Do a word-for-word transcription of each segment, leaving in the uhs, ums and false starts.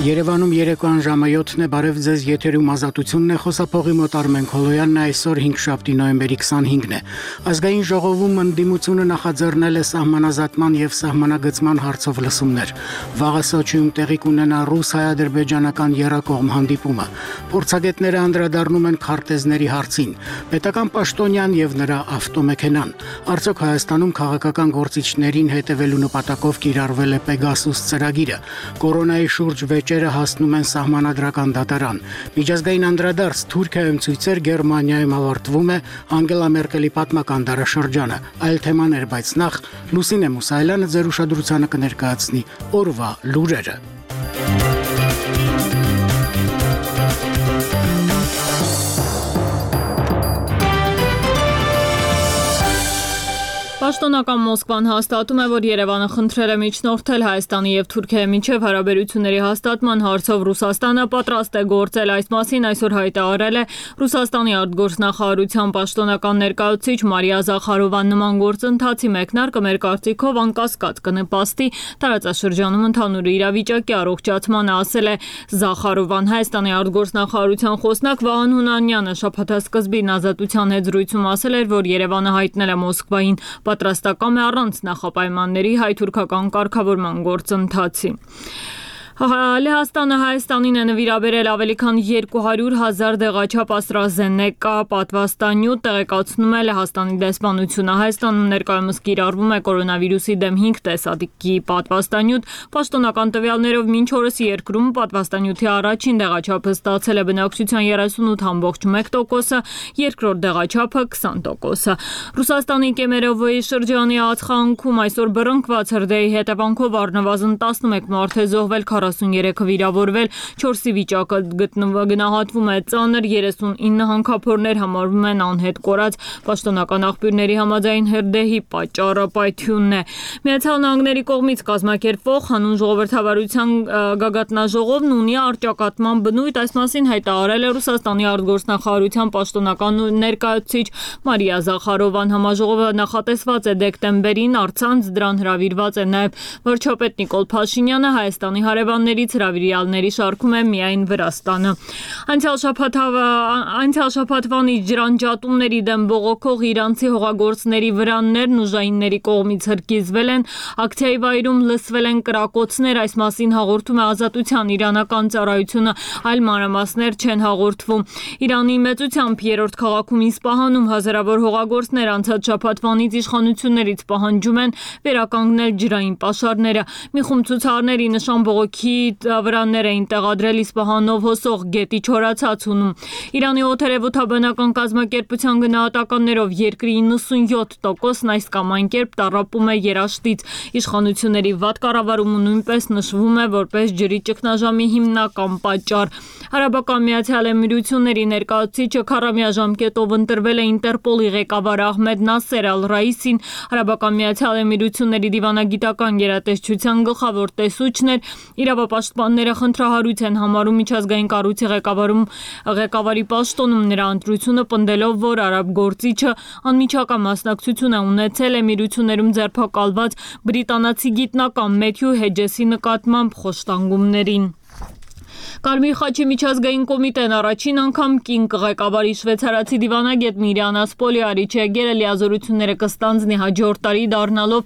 Երևանում երեկոյան ժամը յոթն է, բարև ձեզ, եթերում ազատությունն է, խոսափողի մոտ Արմեն Քոլոյանն է, այսօր հինգշաբթի նոյեմբերի քսանհինգն է։ Ազգային ժողովում ընդդիմությունը նախաձեռնել է սահմանազատման եւ սահմանագծման հարցով լսումներ։ Վաղը Սոչիում տեղի կունենա ռուս-հայ-ադրբեջանական եռակողմ հանդիպումը։ Փորձագետները անդրադառնում են քարտեզների հարցին։ Պետական պաշտոնյան եւ նրա ավտոմեքենան։ Արդյոք Հայաստանում քաղաքական գործիչներին հետևելու նպատակով կիրառվել է Պեգասուս ծրագիրը։ Կորոնայի շուրջ վեճերը հասնում են սահմանադրական դատարան։ Միջազգային անդրադարձ Թուրքիայում ցույցեր, Գերմանիայում ավարտվում է Անգելա Մերկելի պատմական դարաշրջանը։ Այլ թեմաներ, բայց նախ Լուսինե Մուսայելյանը ձեր ուշադրությանը կներկայացնի օրվա լուրերը։ Պաշտոնական Մոսկվան հաստատում է, որ Երևանը խնդրել է միջնորդել Հայաստանի եւ Թուրքիայի միջև հարաբերությունների հաստատման հարցով Ռուսաստանը պատրաստ է գործել, այս մասին այսօր հայտարարել է Ռուսաստանի արտգործնախարարության պաշտոնական ներկայացուցիչ Մարիա Զախարովան։ Նման գործընթացի մեկնարկը մեր կարծիքով անկասկած կնպաստի տարածաշրջանում ընդհանուր իրավիճակի առողջացմանը, ասել է Զախարովան։ Հայաստանի արտգործնախարարության խոսնակ Վահան Հունանյանը շաբաթասկզբին Ազատության հետ զրույցում ասել էր, որ Երևանը հայտնել է Մոսկվային պատրաստական է առանց նախապայմանների հայ-թուրքական կարգավորման գործընթացի։ Լեհաստանը Հայաստանին է նվիրաբերել ավելի քան երկու հարյուր հազար դեղաչափ AstraZeneca պատվաստանյութ, տեղեկացնում է Լեհաստանի դեսպանությունը։ Հայաստանում ներկայումս կիրառվում է կորոնավիրուսի դեմ հինգ տեսակի պատվաստանյութ։ Պաշտոնական տվյալներով մինչ օրս երկրում պատվաստանյութի առաջին դեղաչափը ստացել է բնակչության երեսունութ կόμma մեկ տոկոսը, երկրորդ դեղաչափը քսան տոկոսը։ Ռուսաստանի Կեմերովոյի շրջանի ածխանքում այսօր բռնկված հրդեհի հետևանքով առնվազն տասնմեկ մարդ է զոհվել, քառասուններեքը վիրավորվել, չորսի վիճակը գնահատվում է ծանր, երեսունինը հանքափորներ համարվում են անհետ կորած։ Պաշտոնական աղբյուրների համաձայն հրդեհի պատճառը պայթյունն է։ Միացյալ Նահանգների կողմից կազմակերպվող հանուն ժողովրդավարության գագաթնաժողովն ունի առճակատման բնույթ, այս մասին հայտարարել է Ռուսաստանի արտգործնախարարության պաշտոնական ներկայացուցիչ Մարիա Զախարովան։ Համաժողովը նախատեսված է դեկտեմբերին, առցանց դրան հրավիրված է նաև վարչապետ Նիկոլ Փաշինյանը, Հայաստանի հարևաններից հրավիրյալների շարքում է միայն Վրաստանը։ Անցյալ շաբաթ շաբաթվանից ջրանջատումների դեմ բողոքող իրանցի հողագործների վրաններն ուժայինների կողմից հրկիզվել են, ակցիայի վայրում լսվել են կրակոցներ, այս մասին հաղորդում է Ազատության իրանական ծառայությունը, այլ մանրամասներ չեն հաղորդվում։ Իրանի մեծությամբ երրորդ քաղաքում Իսպահանում հազարավոր հողագործներ անցած շաբաթվանից իշխանություններից պահանջում են վերականգնել ջրային պաշարները։ Մի խումբ ցուցարների նշան բողոքի վրաններ էին տեղադրել Իսպահանով հոսող գետի չորացածունում։ Իրանի օդերևութաբանական կազմակերպության գնահատականներով երկրի իննսունյոթ տոկոսն այս կամ այն կերպ տառապում է երաշտից։ Իշխանությունների վատ կառավարումը նույնպես նշվում է որպես ջրի ճգնաժամի հիմնական պատճառ։ Արաբական Միացյալ Էմիրությունների ներկայացուցիչը քառամյա ժամկետով ընտրվել է Ինտերպոլի ղեկավար Ահմեդ Նասեր Ալ-Ռայիսին։ Արաբական Միացյալ Էմիրությունների դիվանագիտական գերատեսչության գլխավոր տեսուչն էր։ Իրավապաշտպանները խնդրահարույց են համարում միջազգային կառույցի ղեկավարում ղեկավարի պաշտոնում նրա ընտրությունը, պնդելով, որ արաբ գործիչը անմիջական մասնակցություն է ունեցել Էմիրություններում ձերբակալված բրիտանացի գիտնական Մեթյու Հեջեսի նկատմամբ խոշտանգումներին։ Կարմիր խաչի միջազգային կոմիտեն առաջին անգամ կին ղեկավարի շվեյցարացի դիվանագետ Միրիանա Սպոլիարի Չեգերը լիազորությունները կստանձնի հաջորդ տարի, դառնալով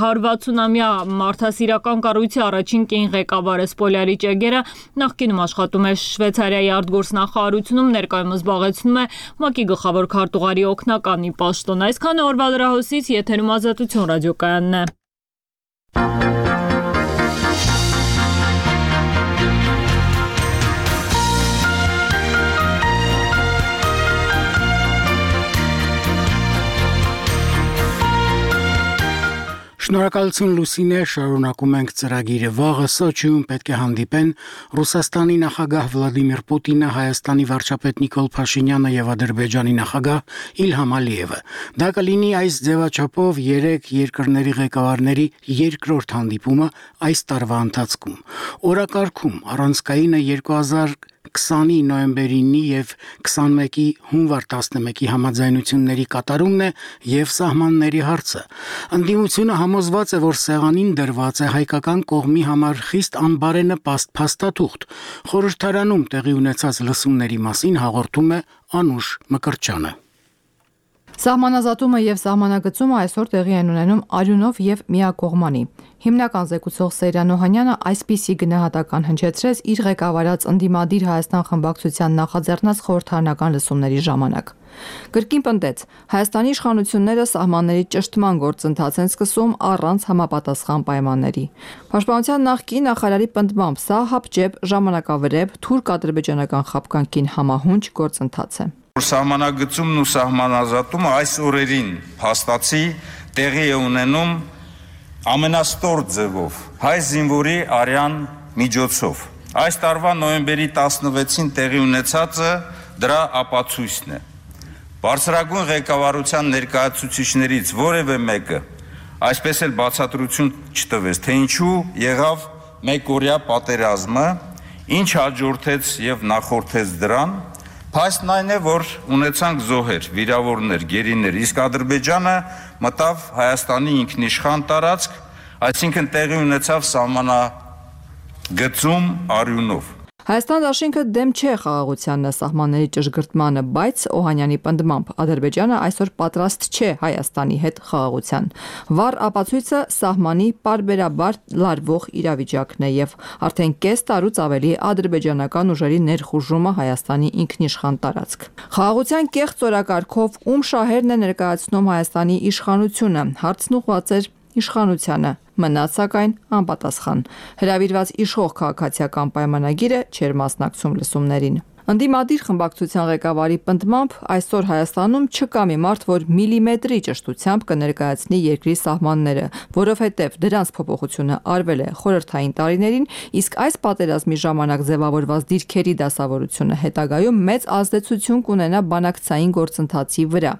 հարյուրվաթսունամյա մարդասիրական կառույցի առաջին կին ղեկավարը։ Սպոլիարի Չեգերը նախկինում աշխատում է Շվեյցարիայի արտգործնախարարությունում, ներկայումս զբաղեցնում է ՄԱԿ-ի գլխավոր քարտուղարի օգնականի պաշտոն։ Այսքանը օրվա լրահոսից, եթերում Ազատություն ռադիոկայանն է։ Շնորհակալություն Լուսինե, շարունակում ենք ծրագիրը։ Վաղը Սոչիում պետք է հանդիպեն Ռուսաստանի նախագահ Վլադիմիր Պուտինը, Հայաստանի վարչապետ Նիկոլ Փաշինյանը եւ Ադրբեջանի նախագահ Իլհամ Ալիևը։ Դա կլինի այս ձևաչափով երեք երկրների ղեկավարների երկրորդ հանդիպումը այս տարվա ընթացքում։ Օրակարգում առանցքայինը երկու հազար քսանի նոյեմբերի նի եւ քսանմեկի հունվար տասնմեկի համաձայնությունների կատարումն է եւ սահմանների հարցը։ Ընդդիմությունը համոզված է, որ սեղանին դրված է հայկական կողմի համար խիստ անբարենպաստ փաստաթուղթ։ Խորհրդարանում տեղի ունեցած լսումների մասին հաղորդում է Անուշ Մկրտչյանը։ Սահմանազատումը եւ սահմանագծումը այսօր տեղի են ունենում արյունով եւ միակողմանի։ Հիմնական զեկուցող Սեյրան Օհանյանը այսպիսի գնահատական հնչեցրեց իր ղեկավարած ընդդիմադիր Հայաստան խմբակցության նախաձեռնած խորհրդարանական լսումների ժամանակ։ Կրկին պնդեց, Հայաստանի իշխանությունները սահմանների ճշտման գործընթաց են սկսում առանց համապատասխան պայմանների։ Պաշտպանության նախկին նախարարի պնդմամբ սա հապճեպ, ժամանակավրեպ, թուրք ադրբեջանական խաբկանքին համահունչ գործընթաց է։ Սահմանագծումն ու սահմանազատումը այս օրերին փաստացի տեղի է ունենում ամենաստոր ձևով հայ զինվորի արյան միջոցով։ Այս տարվա նոյեմբերի տասնվեցին տեղի ունեցածը դրա ապացույցն է։ Բարձրագույն ղեկավարության ներկայացուցիչներից որևէ մեկը այսպես էլ բացատրություն չտվեց, թե ինչու եղավ մեկօրյա պատերազմը, ինչ հաջորդեց եւ նախորդեց դրան։ Փաստն այն է, որ ունեցանք զոհեր, վիրավորներ, գերիներ, իսկ Ադրբեջանը մտավ Հայաստանի ինքնիշխան տարածք, այսինքն տեղի ունեցավ սահմանագծում արյունով։ Հայաստան դաշինքը դեմ չէ խաղաղությանն սահմանների ճշգրտմանը, բայց Օհանյանի պնդմամբ Ադրբեջանը այսօր պատրաստ չէ Հայաստանի հետ խաղաղության։ Վառ ապացույցը սահմանի պարբերաբար լարվող իրավիճակն է եւ արդեն կես տարուց ավելի ադրբեջանական ուժերի ներխուժումը Հայաստանի ինքնիշխան տարածք։ Խաղաղության կեղծ օրակարգով ում շահերն է ներկայացնում Հայաստանի իշխանությունը, հարցն ուղղված էր իշխանությանը, մնաց սակայն անպատասխան։ Հրավիրված իշխող քաղաքացիական պայմանագիրը չէր մասնակցում լսումներին։ Ընդդիմադիր խմբակցության ղեկավարի պնդմամբ այսօր Հայաստանում չկա մի մարդ, որ միլիմետրի ճշտությամբ կներկայացնի երկրի սահմանները, որովհետև դրանց փոփոխությունը արվել է խորհրդային տարիներին, իսկ այս պատերազմի ժամանակ ձևավորված դիրքերի դասավորությունը հետագայում մեծ ազդեցություն կունենա բանակցային գործընթացի վրա։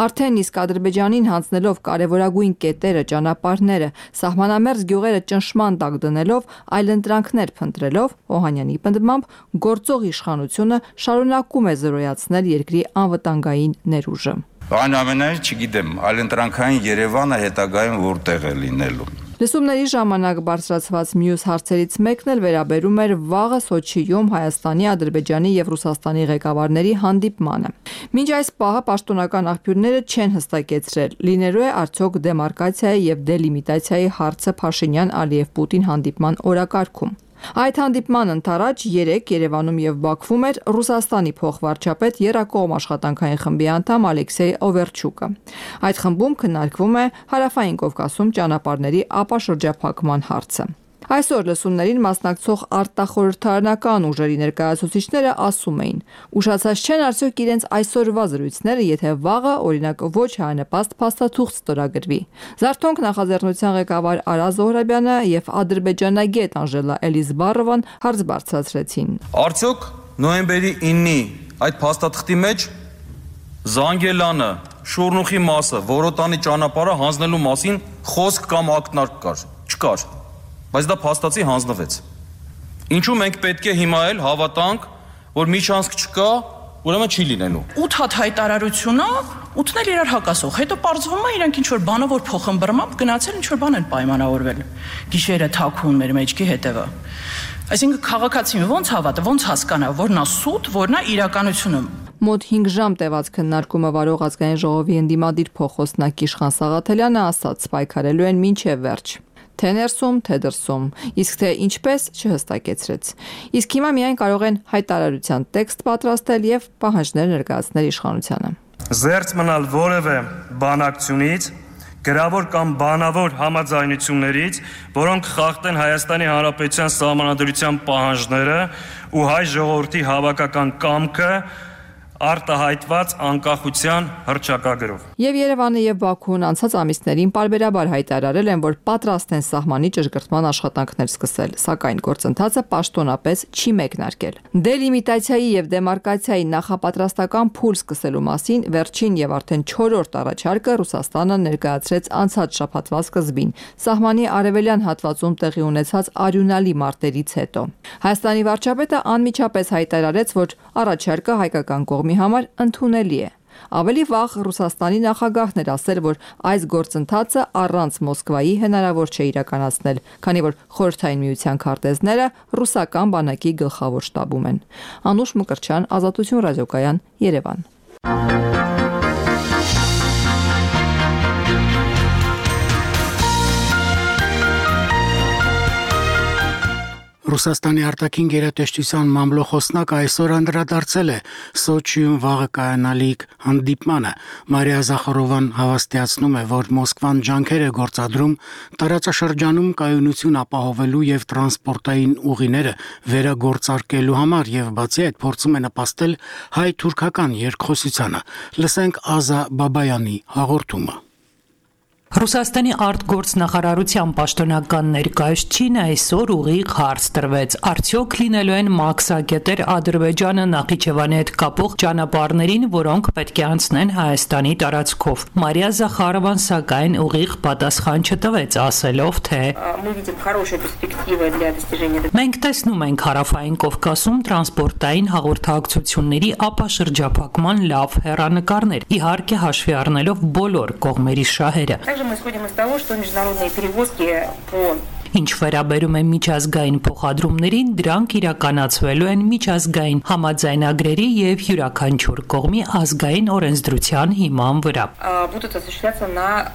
Արդեն իսկ Ադրբեջանին հանձնելով կարևորագույն կետերը, ճանապարհները, սահմանամերձ գյուղերը ճնշման տակ դնելով, այլընտրանքներ փնտրելով, Օհանյանի պնդմամբ գործող իշխանությունը շարունակում է զրոյացնել երկրի անվտանգային ներուժը։ Այնուամենայնիվ չգիտեմ, այլընտրանքային Երևանը հետագայում որտեղ է լինելու։ Լսումների ժամանակ բարձրացված մյուս հարցերից մեկն էլ վերաբերում էր վաղը Սոչիում Հայաստանի, Ադրբեջանի եւ Ռուսաստանի ղեկավարների հանդիպմանը։ Մինչ այս պահը պաշտոնական աղբյուրները չեն հստակեցրել, լինելու է արդյոք դեմարկացիայի եւ դելիմիտացիայի հարցը Փաշինյան-Ալիև-Պուտին հանդիպման օրակարգում։ Այդ հանդիպման ընթരാճ երեկ Երևանում եւ Բաքվում էր Ռուսաստանի փոխվարչապետ Եռակողմ աշխատանքային խմբի անդամ Ալեքսեյ Օվերչուկը։ Այդ խմբում քննարկվում է Հարավային Կովկասում ճանապարհների ապաշրջափակման հարցը։ Այսօր լսումներին մասնակցող արտախորհրդարանական ուժերի ներկայացուցիչները ասում էին. ուշացած չեն արդյոք իրենց այսօրվա զրույցները, եթե վաղը օրինակ ոչ հանրապաստ փաստաթուղթ ստորագրվի։ Զարթոնք նախաձեռնության ղեկավար Արա Զոհրաբյանը եւ ադրբեջանագետ Անժելա Էլիզբարովան հարց բարձրացրեցին։ Արդյոք նոյեմբերի իննի այդ փաստաթղթի մեջ Զանգելանը, Շորնուխի մասը, Որոտանի ճանապարհը հանձնելու մասին խոսք կամ ակնարկ կար։ Չկար։ Բայց դա փաստացի հանձնվեց։ Ինչու մենք պետք է հիմա էլ հավատանք, որ միջանցք չկա, ուրեմն չի լինելու։ ութ հատ հայտարարությունը, ութն էլ իրար հակասող։ Հետո պարզվում է իրանք ինչ որ բանը որ փոխըմբռնմամբ գնացել ինչ որ բան են պայմանավորվել։ Գիշերը թաքուն մեր մեջքի հետևը։ Այսինքն քաղաքացին ո՞նց հավատա, ո՞նց հասկանա, որ նա սուտ, որ նա իրականությունը։ Մոտ հինգ ժամ տևած քննարկումը վարող ազգային ժողովի ընդդիմադիր փոխոստնակ Իշխան Սաղաթելյանը ասաց, պայքարելու են մինչև վերջ։ Թե ներսում, թե դրսում, իսկ թե ինչպես չհստակեցրեց։ Իսկ հիմա միայն կարող են հայտարարության տեքստ պատրաստել եւ պահանջներ ներկայացնել իշխանությանը։ Զերծ մնալ որևէ բանակցությունից, գրավոր կամ բանավոր համաձայնություններից, որոնք խախտեն Հայաստանի Հանրապետության սահմանադրության պահանջները ու հայ ժողովրդի հավաքական կամքը, արտահայտված անկախության հռչակագրով։ Եվ Երևանը եւ Բաքուն անցած ամիսներին պարբերաբար հայտարարել են, որ պատրաստ են սահմանի ճշգրտման աշխատանքներ սկսել, սակայն գործընթացը պաշտոնապես չի մեկնարկել։ Դելիմիտացիայի եւ դեմարկացիայի նախապատրաստական փուլ սկսելու մասին վերջին եւ արդեն չորրորդ առաջարկը Ռուսաստանը ներկայացրեց անցած շաբաթվա սկզբին, սահմանի արևելյան հատվածում տեղի ունեցած արյունալի մարտերից հետո։ Հայաստանի վարչապետը անմիջապես հայտարարեց, որ առաջարկը հայկական կողմի համար ընդունելի է։ Ավելի վաղ Ռուսաստանի նախագահն էր ասել, որ այս գործընթացը առանց Մոսկվայի հնարավոր չէ իրականացնել, քանի որ Խորհրդային Միության քարտեզները ռուսական բանակի գլխավոր շտաբում են։ Անուշ Մկրտչյան, Ազատություն ռադիոկայան, Երևան։ Ռուսաստանի արտաքին գերատեսչության մամլոխոսնակ այսօր անդրադարձել է Սոչիում վաղը կայանալիք հանդիպմանը։ Մարիա Զախարովան հավաստիացնում է, որ Մոսկվան ջանքեր է գործադրում տարածաշրջանում կայունություն ապահովելու եւ տրանսպորտային ուղիները վերագործարկելու համար եւ բացի այդ փորձում է նպաստել հայ-թուրքական երկխոսությանը։ Լսենք Ազա Բաբայանի հաղորդումը։ Ռուսաստանի արտգործնախարարության պաշտոնական ներկայացուցիչին այսօր ուղիղ հարց տրվեց. արդյոք լինելու են մաքսակետեր Ադրբեջանը Նախիջևանի հետ կապող ճանապարհներին, որոնք պետք է անցնեն Հայաստանի տարածքով։ Մարիա Զախարովան սակայն ուղիղ պատասխան չտվեց, ասելով, թե մենք տեսնում ենք Հարավային Կովկասում տրանսպորտային հաղորդակցությունների ապաշրջափակման լավ հեռանկարներ, իհարկե հաշվի առնելով բոլոր կողմերի շահերը։ Мы исходим из того, что международные перевозки по Ինչ վերաբերում է միջազգային փոխադրումներին, дրանք իրականացվելու են միջազգային համաձայնագրերի եւ յուրաքանչյուր կողմի ազգային օրենսդրության հիման վրա։ Будут осуществляться на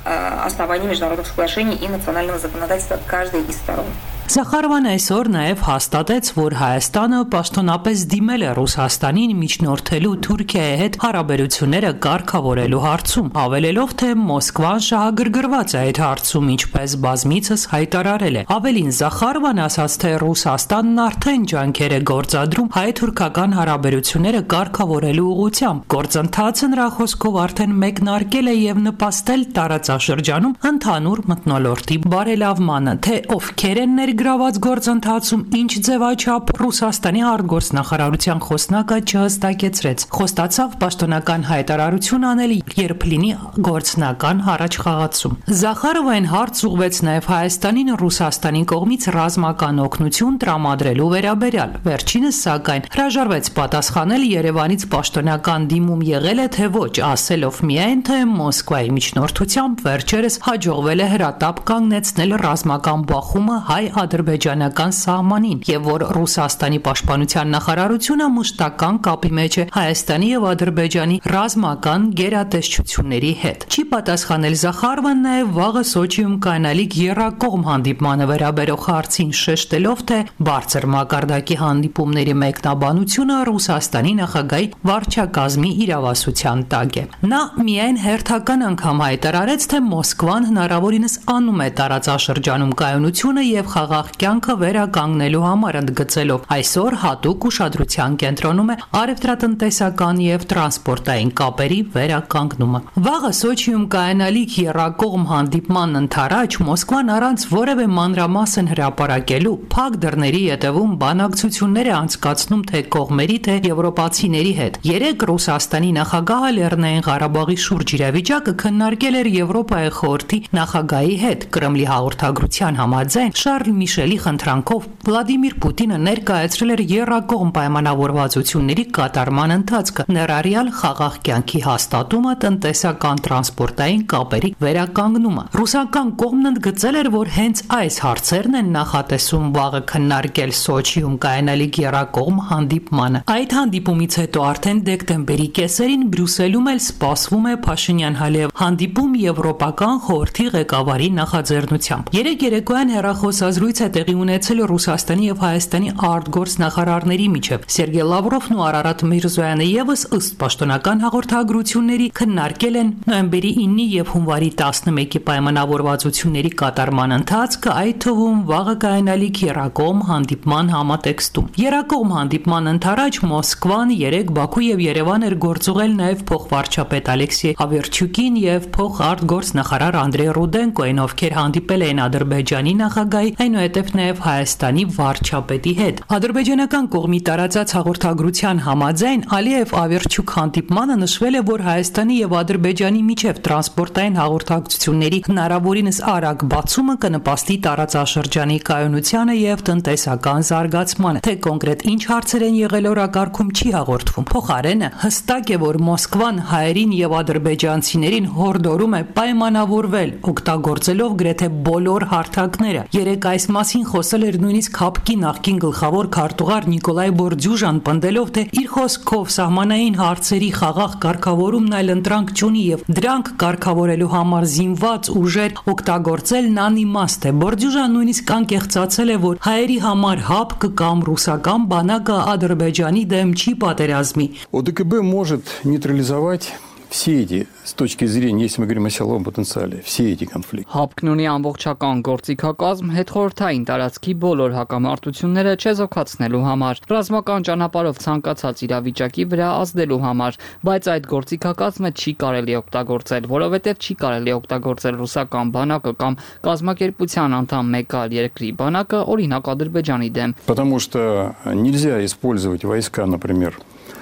основании международных соглашений и национального законодательства каждой из сторон. Զախարովան այսօր նաև հաստատեց, որ Հայաստանը պաշտոնապես դիմել է Ռուսաստանին միջնորդելու Թուրքիայի հետ հարաբերությունները կարգավորելու հարցում, հավելելով, թե Մոսկվան շահագրգռված է այդ հարցում, ինչպես բազմիցս հայտարարել է։ Ավելին Զախարովան ասաց, թե Ռուսաստանն արդեն ջանքեր է գործադրում հայ-թուրքական հարաբերությունները կարգավորելու ուղղությամբ։ Գործընթացը նրա խոսքով արդեն մեկնարկել է եւ նպաստել տարածաշրջանում ընդհանուր մթնոլորտի բարելավմանը, թե ովքեր են գրաված գործընթացում ինչ ձևաչափ Ռուսաստանի արտգործնախարարության խոսնակը չհստակեցրեց։ Խոստացավ պաշտոնական հայտարարություն անել, երբ լինի գործնական առաջխաղացում։ Զախարովան հարց ուղղվեց նաև Հայաստանին Ռուսաստանի կողմից ռազմական օգնություն տրամադրելու վերաբերյալ։ Վերջինս սակայն հրաժարվեց պատասխանել, Երևանից պաշտոնական դիմում եղել է թե ոչ, ասելով միայն, թե Մոսկվայի միջնորդությամբ վերջերս հաջողվել է հրատապ կանգնեցնել ռազմական բախումը հայ ադրբեջանական սահմանին եւ որ Ռուսաստանի պաշտպանության նախարարությունը մշտական կապի մեջ է Հայաստանի եւ Ադրբեջանի ռազմական գերատեսչությունների հետ։ Չի պատասխանել Զախարովան նաեւ վաղը Սոչիում կայանալիք եռակողմ հանդիպմանը վերաբերող հարցին, շեշտելով, թե բարձր մակարդակի հանդիպումների մեկնաբանությունը Ռուսաստանի նախագահի վարչակազմի իրավասության տակ է։ Նա միայն հերթական անգամ հայտարարեց, թե Մոսկվան հնարավորինս անում է տարածաշրջանում կայունությունը եւ խաղաղ կյանքը վերականգնելու համար, ընդգծելով այսօր հատուկ ուշադրության կենտրոնում է առևտրատնտեսական եւ տրանսպորտային կապերի վերականգնումը։ Վաղը Սոչիում կայանալիք եռակողմ հանդիպման ընթരാճ Մոսկվան առանց որևէ մանրամասն հրապարակելու փակ դռների ետևում բանակցություններ է անցկացնում թե կողմերի, թե եվրոպացիների հետ։ Երեք Ռուսաստանի նախագահը Լեռնային Ղարաբաղի շուրջ իրավիճակը քննարկել էր Եվրոպայի խորհրդի նախագահի հետ։ Կրեմլի հաղորդագրության համաձայն Շարլ Միշելի խնդրանքով Վլադիմիր Պուտինը ներկայացրել էր եռակողմ պայմանավորվածությունների կատարման ընթացքը, ներառյալ խաղաղ կյանքի հաստատումը, տնտեսական տրանսպորտային կապերի վերականգնումը։ Ռուսական կողմն ընդգծել էր, որ հենց այս հարցերն են նախատեսում վաղը քննարկել Սոչիում կայանալիք եռակողմ հանդիպմանը։ Այդ հանդիպումից հետո արդեն դեկտեմբերի կեսերին Բրյուսելում էլ սպասվում է Փաշինյան-Հալիև հանդիպում Եվրոպական խորհրդի ղեկավարի նախաձեռնությամբ։ Երեք երեկոյան հեռախոսազրույց զրույց է տեղի ունեցել Ռուսաստանի եւ Հայաստանի արտգործնախարարների միջև։ Սերգեյ Լավրովն ու Արարատ Միրզոյանը եւս ըստ պաշտոնական հաղորդագրությունների քննարկել են նոյեմբերի ինը եւ հունվարի տասնմեկի պայմանավորվածությունների կատարման ընթացքը, այդ թվում վաղը կայանալիք երակողմ հանդիպման համատեքստում։ Երակողմ հանդիպման ընթരാճ Մոսկվան երեք Բաքու եւ Երևան էր գործուղել նաեւ փոխվարչապետ Ալեքսեյ Ավերչուկին եւ փոխարտգործնախարար Անդրեյ Ռուդենկոին, ովքեր հանդիպել էին Ադրբեջանի նախագահի, այնուհետև նաեւ Հայաստանի վարչապետի հետ։ Ադրբեջանական կողմի տարածած հաղորդագրության համաձայն Ալիև Ավերչուկ հանդիպմանը նշվել է, որ Հայաստանի եւ Ադրբեջանի միջև տրանսպորտային հաղորդակցությունների հնարավորինս արագ բացումը կնպաստի տարածաշրջանի կայունությանը եւ տնտեսական զարգացմանը։ Թե կոնկրետ ինչ հարցեր են եղել օրակարգում չի հաղորդվում։ Փոխարենը հստակ է, որ Մոսկվան հայերին եւ ադրբեջանցիներին հորդորում է պայմանավորվել, օգտագործելով գրեթե բոլոր հարթակները։ Երեք այս մասին խոսել էր նույնիսկ ՀԱՊԿ-ի նախկին գլխավոր քարտուղար Նիկոլայ Բորդյուժան, պնդելով, թե իր խոսքով սահմանային հարցերի խաղաղ կարգավորումն այլ ընտրանք չունի եւ դրանք կարգավորելու համար զինված ուժեր օգտագործելն անիմաստ է։ Բորդյուժան նույնիսկ անկեղծացել է, որ հայերի համար ՀԱՊԿ կամ ռուսական բանակը Ադրբեջանի դեմ չի պատերազմի։ ОДКБ может нейтрализовать все эти, с точки зрения, если мы говорим о силовом потенциале, все эти конфликты. ՀԱՊԿ-ն ունի ամբողջական գործիքակազմ հետխորհրդային տարածքի բոլոր հակամարտությունները չեզոքացնելու համար, ռազմական ճանապարհով ցանկացած իրավիճակի վրա ազդելու համար, բայց այդ գործիքակազմը չի կարելի օգտագործել, որովհետև չի կարելի օգտագործել ռուսական բանակը կամ կազմակերպության անդամ մեկ այլ երկրի բանակը, օրինակ Ադրբեջանի դեմ։ Потому что нельзя использовать войска, например,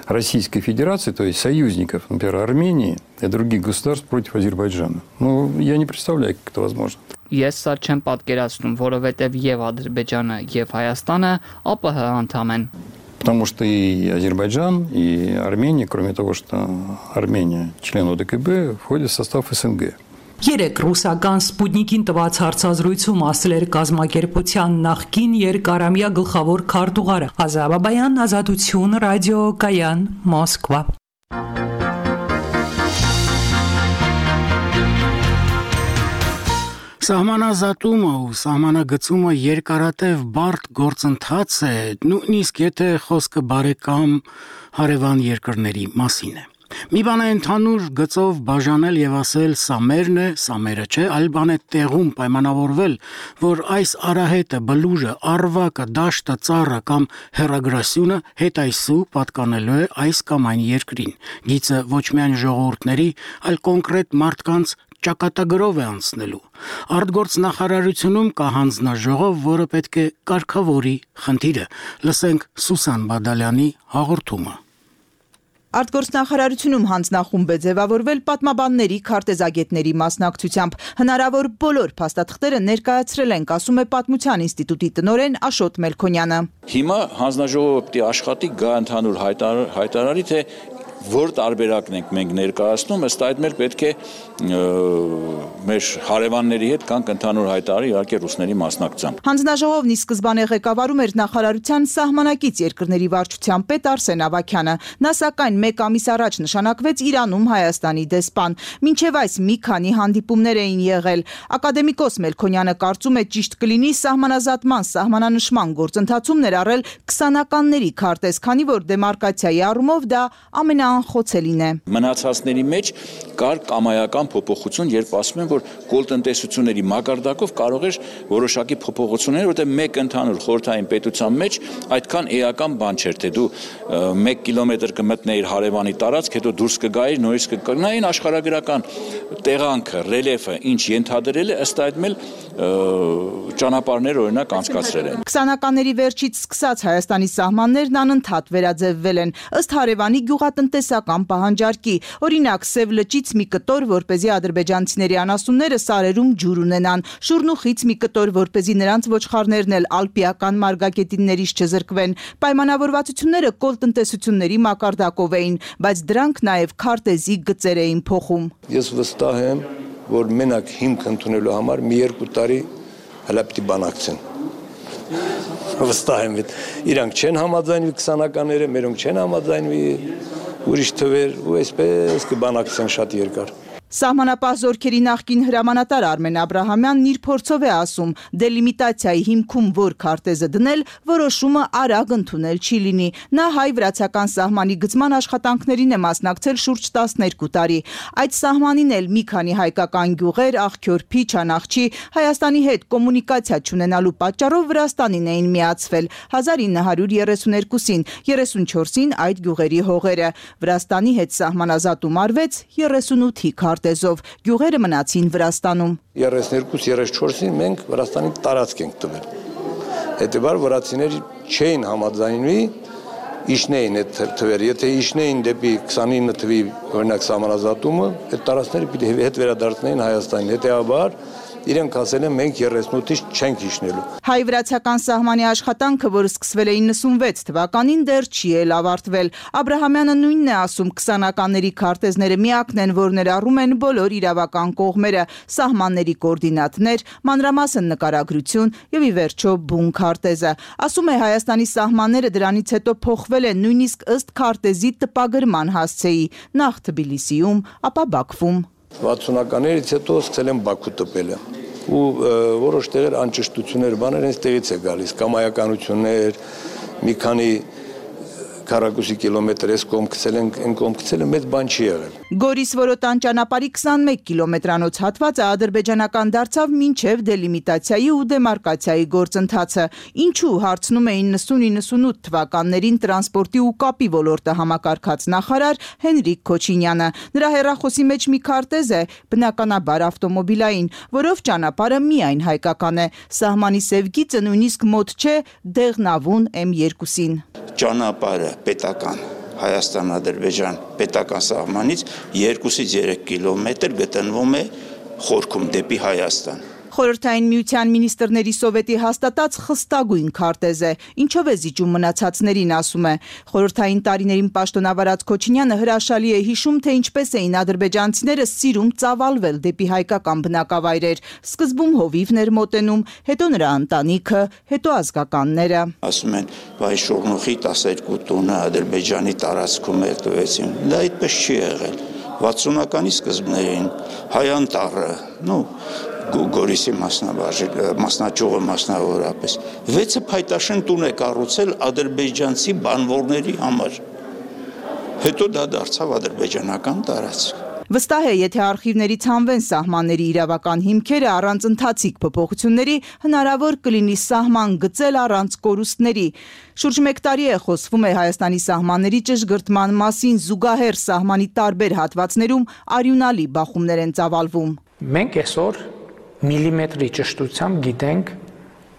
Российской Федерации, то есть союзников, например, Армении и других государств против Азербайджана. Ну, я не представляю, как это возможно. Ես սա չեմ պատկերացնում, որովհետև եւ Ադրբեջանը եւ Հայաստանը ԱՊՀ անդամ են։ Потому что и Азербайджан, и Армения, кроме того, что Армения член ОДКБ, входит в состав СНГ. Երեք ռուսական Սպուտնիկին տված հարցազրույցում ասել էր կազմակերպության նախկին երկարամյա գլխավոր քարտուղարը։ Ազաբաբայան, Ազատություն, ռադիո Կայան, Մոսկվա։ Սահմանազատումը ու սահմանագծումը երկարատև բարդ գործընթաց է, նույնիսկ եթե խոսքը բարեկամ հարևան երկրների մասին է։ Մի բան է ընդհանուր գծով բաժանել եւ ասել սա մերն է, սա մերը չէ, այլ բան է տեղում պայմանավորվել, որ այս արահետը, բլուժը, արվակը, դաշտը, ծառը կամ հերագրասյունը հետայսու պատկանելու է այս կամ այն երկրին։ Գիծը ոչ միայն ժողովուրդների, այլ կոնկրետ մարդկանց ճակատագրով է անցնելու։ Արտգործնախարարությունում կա հանձնաժողով, որը պետք է կարգավորի խնդիրը։ Լսենք Սուսան Բադալյանի հաղորդումը։ Արտգործնախարարությունում հանձնախումբ է ձևավորվել պատմաբանների, քարտեզագետների մասնակցությամբ։ Հնարավոր բոլոր փաստաթղթերը ներկայացրել ենք, ասում է Պատմության ինստիտուտի տնօրեն Աշոտ Մելքոնյանը։ Հիմա հանձնաժողովը պետք է աշխատի գա ընդհանուր հայտարարի, թե որ տարբերակն ենք մենք ներկայացնում, ըստ այդ մեր պետք է մեր հարևանների հետ կանք ընդհանուր հայտարարի, իհարկե ռուսների մասնակցությամբ։ Հանձնաժողովն ի սկզբանե ղեկավարում էր նախարարության սահմանակից երկրների վարչության պետ Արսեն Ավագյանը։ Նա սակայն մեկ ամիս առաջ նշանակվեց Իրանում Հայաստանի դեսպան։ Մինչև այս մի քանի հանդիպումներ էին եղել։ Ակադեմիկոս Մելքոնյանը կարծում է ճիշտ կլինի սահմանազատման, սահմանանշման գործընթացում ներառել քսանականների քարտեզ, քանի որ դեմարկացիայի առումով դա ամենա անխոցելին է։ Մնացածների մեջ կար կամայական փոփոխություն, երբ ասում են, որ կոլտնտեսությունների մակարդակով կարող էր որոշակի փոփոխություններ, որտեղ մեկ ընդհանուր խորհրդային պետության մեջ այդքան էական բան չէր, թե դու մեկ կիլոմետր կմտնեիր հարևանի տարածք, հետո դուրս կգայիր, նորից կգնային աշխարհագրական տեղանքը, ռելիեֆը, ինչ ենթադրել է, ըստ այդ մել ճանապարհներ օրինակ անցկացրել են։ Քսանականների վերջից սկսած Հայաստանի սահմաններն անընդհատ վերաձևվել են ըստ հարևանի գյուղատնտեսական պահանջարկի։ Օրինակ Սև լճից մի կտոր, որպեսզի ադրբեջանցիների անասունները սարերում ջուր ունենան, Շուրնուխից մի կտոր, որպեսզի նրանց ոչխարներն էլ ալպիական մարգագետիններից չզրկվեն։ Պայմանավորվածությունները կոլտնտեսությունների մակարդակով էին, բայց դրանք նաև քարտեզի գծեր էին փոխում։ Ես վստահ եմ, որ մենակ հիմք ընդունելու համար մի երկու տարի հələ պիտի բանակցեն։ Վստահ եմ, իրանք չեն համաձայնվի քսանականները, մերոնք չեն համաձայնվի ուրիշ թվեր ու այսպես կբանակցեն շատ երկար։ Սահմանապահ զորքերի նախկին հրամանատար Արմեն Աբրահամյանն իր փորձով է ասում, դելիմիտացիայի հիմքում որ քարտեզը դնել, որոշումը արագ ընդունել չի լինի։ Նա հայ-վրացական սահմանի գծման աշխատանքներին է մասնակցել շուրջ տասներկու տարի։ Այդ սահմանին էլ մի քանի հայկական գյուղեր, Աղքյորփի, Չանախչի, Հայաստանի հետ կոմունիկացիա չունենալու պատճառով Վրաստանին էին միացվել հազար ինը հարյուր երեսուներկուսին, երեսունչորսին այդ գյուղերի հողերը։ Վրաստանի հետ սահմանազատում արվեց երեսունութի քարտեզով, գյուղերը մնացին Վրաստանում։ երեսներկու երեսչորսին մենք Վրաստանի տարածք ենք տվել։ Հետևաբար վրացիները չէին համաձայնվի իշնեին այդ թվերը, եթե իշնեին դեպի քսանինը թվի օրինակ սահմանազատումը, այդ տարածքները պիտի հետ վերադարձնեին Հայաստանին, հետևաբար իրենք ասել են մենք երեսունութից չենք իշնելու։ Հայ-վրացական սահմանի աշխատանքը, որ սկսվել է իննսունվեց թվականին, դեռ չի էլ ավարտվել։ Աբրահամյանը նույնն է ասում, քսանականների քարտեզները միակն են, որ ներառում են բոլոր իրավական կողմերը, սահմանների կոորդինատներ, մանրամասն նկարագրություն եւ ի վերջո բուն քարտեզը։ Ասում է Հայաստանի սահմանները դրանից հետո փոխվել են նույնիսկ ըստ քարտեզի տպագրման հասցեի, նախ Թբիլիսիում, ապա Բաքվում։ վաթսունականներից հետո սկսել են Բաքու տպելը ու որոշ տեղեր անճշտություններ բաներ հենց տեղից է գալիս, կամայականություններ, մի քանի քառակուսի կիլոմետր էս կողմ գցել են, այն կողմ գցելը մեծ բան չի եղել։ Գորիս-Որոտան ճանապարհի քսանմեկ կիլոմետրանոց հատվածը ադրբեջանական դարձավ մինչև դելիմիտացիայի ու դեմարկացիայի գործընթացը, ինչու հարցնում է իննսուն իննսունութ թվականներին տրանսպորտի ու կապի ոլորտը համակարգած նախարար Հենրիկ Քոչինյանը։ Նրա հեռախոսի մեջ մի քարտեզ է, բնականաբար ավտոմոբիլային, որով ճանապարհը միայն հայկական է։ Սահմանի սև գիծը նույնիսկ մոտ չէ Դեղնավուն էմ երկուսին։ Ճանապարհը պետական Հայաստան-Ադրբեջան պետական սահմանից երկուսից երեք կիլոմետր գտնվում է խորքում դեպի Հայաստան։ Խորհրդային միության մինիստրների սովետի հաստատած խստագույն քարտեզ է, ինչով է զիջում մնացածներին, ասում է։ Խորհրդային տարիներին պաշտոնավարած Քոչինյանը հրաշալի է հիշում, թե ինչպես էին ադրբեջանցիները սիրում ծավալվել դեպի հայկական բնակավայրեր, սկզբում հովիվներ մոտենում, հետո նրա ընտանիքը, հետո ազգականները։ Ասում են, վայ Շորնուխի տասներկու տունը Ադրբեջանի տարածքում է տվեցին։ Դա այդպես չի եղել։ վաթսունականի սկզբներին Հայանտառը, նո Գորիսի մասնաճյուղը մասնավորապես վեցը փայտաշեն տուն է կառուցել ադրբեջանցի բանվորների համար։ Հետո դա դարձավ ադրբեջանական տարածք։ Վստահ է, եթե արխիվներից հանվեն սահմանների իրավական հիմքերը առանց ընթացիկ փոփոխությունների, հնարավոր կլինի սահման գծել առանց կորուստների։ Շուրջ մեկ տարի է խոսվում է Հայաստանի սահմանների ճշգրտման մասին, զուգահեռ սահմանի տարբեր հատվածներում արյունալի բախումներ են ծավալվում։ Մենք այսօր միլիմետրի ճշտությամբ գիտենք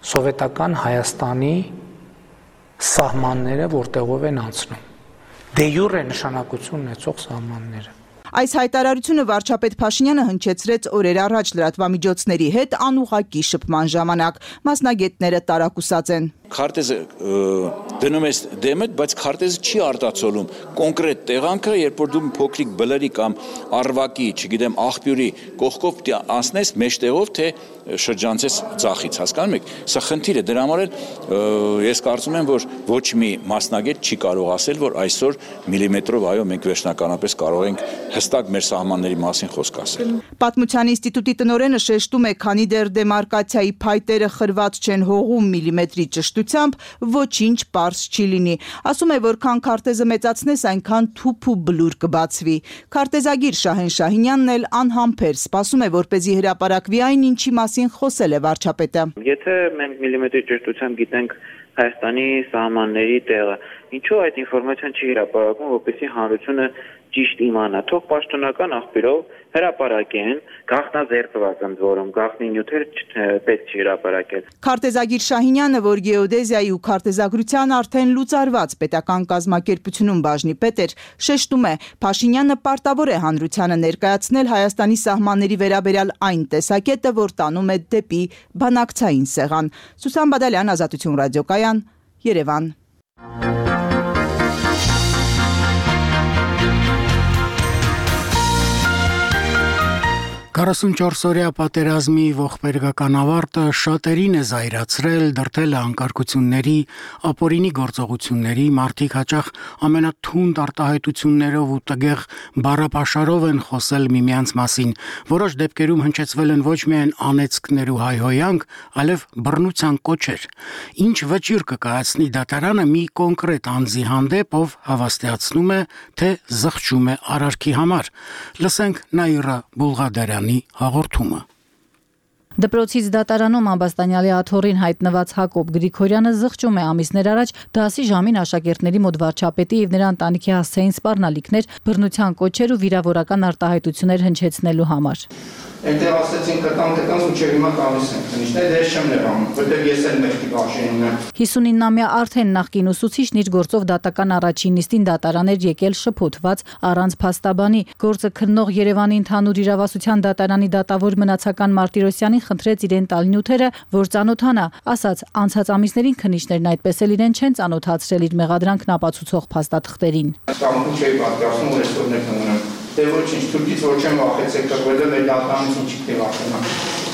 սովետական Հայաստանի սահմանները որտեղով են անցնում։ Դե յուրե նշանակություն ունեցող սահմանները։ Այս հայտարարությունը վարչապետ Փաշինյանը հնչեցրեց օրեր առաջ լրատվամիջոցների հետ անուղղակի շփման ժամանակ։ Մասնագետները տարակուսած են։ Քարտեզը դնում ես դեմը, բայց քարտեզը չի արտացոլում կոնկրետ տեղանքը, երբ որ դու փոքրիկ բլրի կամ արվակի, չգիտեմ, աղբյուրի կողքով անցնես մեջտեղով, թե շրջանցես ցախից, հասկանում եք։ Սա խնդիր է, դրա համար էլ ես կարծում եմ, որ ոչ մի մասնագետ չի կարող ասել, որ այսօր միլիմետրով, այո, մենք վերջնականապես կարող ենք հստակ մեր սահմանների մասին խոսք ասել։ Պատմության ինստիտուտի տնօրենը շեշտում է, քանի դեռ դեմարկացիայի փայտերը խրված չեն հողում միլիմետրի ճշտությամբ, ոչինչ պարզ չի լինի։ Ասում է, որքան քարտեզը մեծացնես, այնքան թուփ ու բլուր կբացվի։ Քարտեզագիր Շահեն Շահինյանն էլ անհամբեր սպասում է, որպեսզի հրապարակվի այն, ինչի մասին խոսել է վարչապետը։ Եթե մենք միլիմետրի ճշտությամբ գիտենք Հայաստանի սահմանների տեղը, ինչու այդ ինֆորմացիան չի հրապարակվում, որպեսզի հանրությունը ճիշտ իմանա, թող պաշտոնական աղբյուրով հրապարակեն, գաղտնազերծված ընդ որում, գաղտնի նյութերը պետք չի հրապարակել։ Քարտեզագիր Շահինյանը, որ գեոդեզիայի ու քարտեզագրության արդեն լուծարված պետական կազմակերպությունում բաժնի պետ էր, շեշտում է, Փաշինյանը պարտավոր է հանրությանը ներկայացնել Հայաստանի սահմանների վերաբերյալ այն տեսակետը, որ տանում է դեպի բանակցային սեղան։ Սուսան Բադալյան, Ազատություն ռադիոկայան, Երևան։ քառասունչորս-օրյա պատերազմի ողբերգական ավարտը շատերին է զայրացրել, դրդել է անկարգությունների, ապօրինի գործողությունների, մարդիկ հաճախ ամենաթունդ արտահայտություններով ու տգեղ բառապաշարով են խոսել միմյանց մասին, որոշ դեպքերում հնչեցվել են ոչ միայն անեծքներ ու հայհոյանք, այլև բռնության կոչեր։ Ինչ վճիռ կկայացնի դատարանը մի կոնկրետ անձի հանդեպ, ով հավաստիացնում է, թե զղջում է արարքի համար։ Լսենք Նաիրա Բուլղադարյանի հաղորդումը։ Դպրոցից դատարանում ամբաստանյալի աթոռին հայտնված Հակոբ Գրիգորյանը զղջում է ամիսներ առաջ դասի ժամին աշակերտների մոտ վարչապետի եւ նրա ընտանիքի հասցեին սպառնալիքներ, բռնության կոչեր ու վիրավորական արտահայտություններ հնչեցնելու համար։ Այնտեղ ասեցին կտան կտան ու չէ հիմա տալիս են քնիշներ դեր չեմ լրանում որտեղ ես էլ մեղքի բաժին ունեմ։ հիսունինամյա Արթեն նախկին ուսուցիչն իր գործով դատական առաջին նիստին դատարան էր եկել շփոթված առանց փաստաբանի։ Գործը քննող Երևանի ընդհանուր իրավասության դատարանի դատավոր մնացական Մարտիրոսյանին խնդրեց իրեն տալ նյութերը, որ ծանոթանա, ասաց անցած ամիսներին քննիչներն այդպես էլ իրեն չեն ծանոթացրել իր մեղադրանքն ապացուցող փաստաթղթերին։ Ստամբուլ չէի պատկերացնում որ այսօր ներկայանում Դե ոչինչ, թուրքից ոչ եմ վախեցել կրվելը մեր դատարանից ինչի թե վախենամ։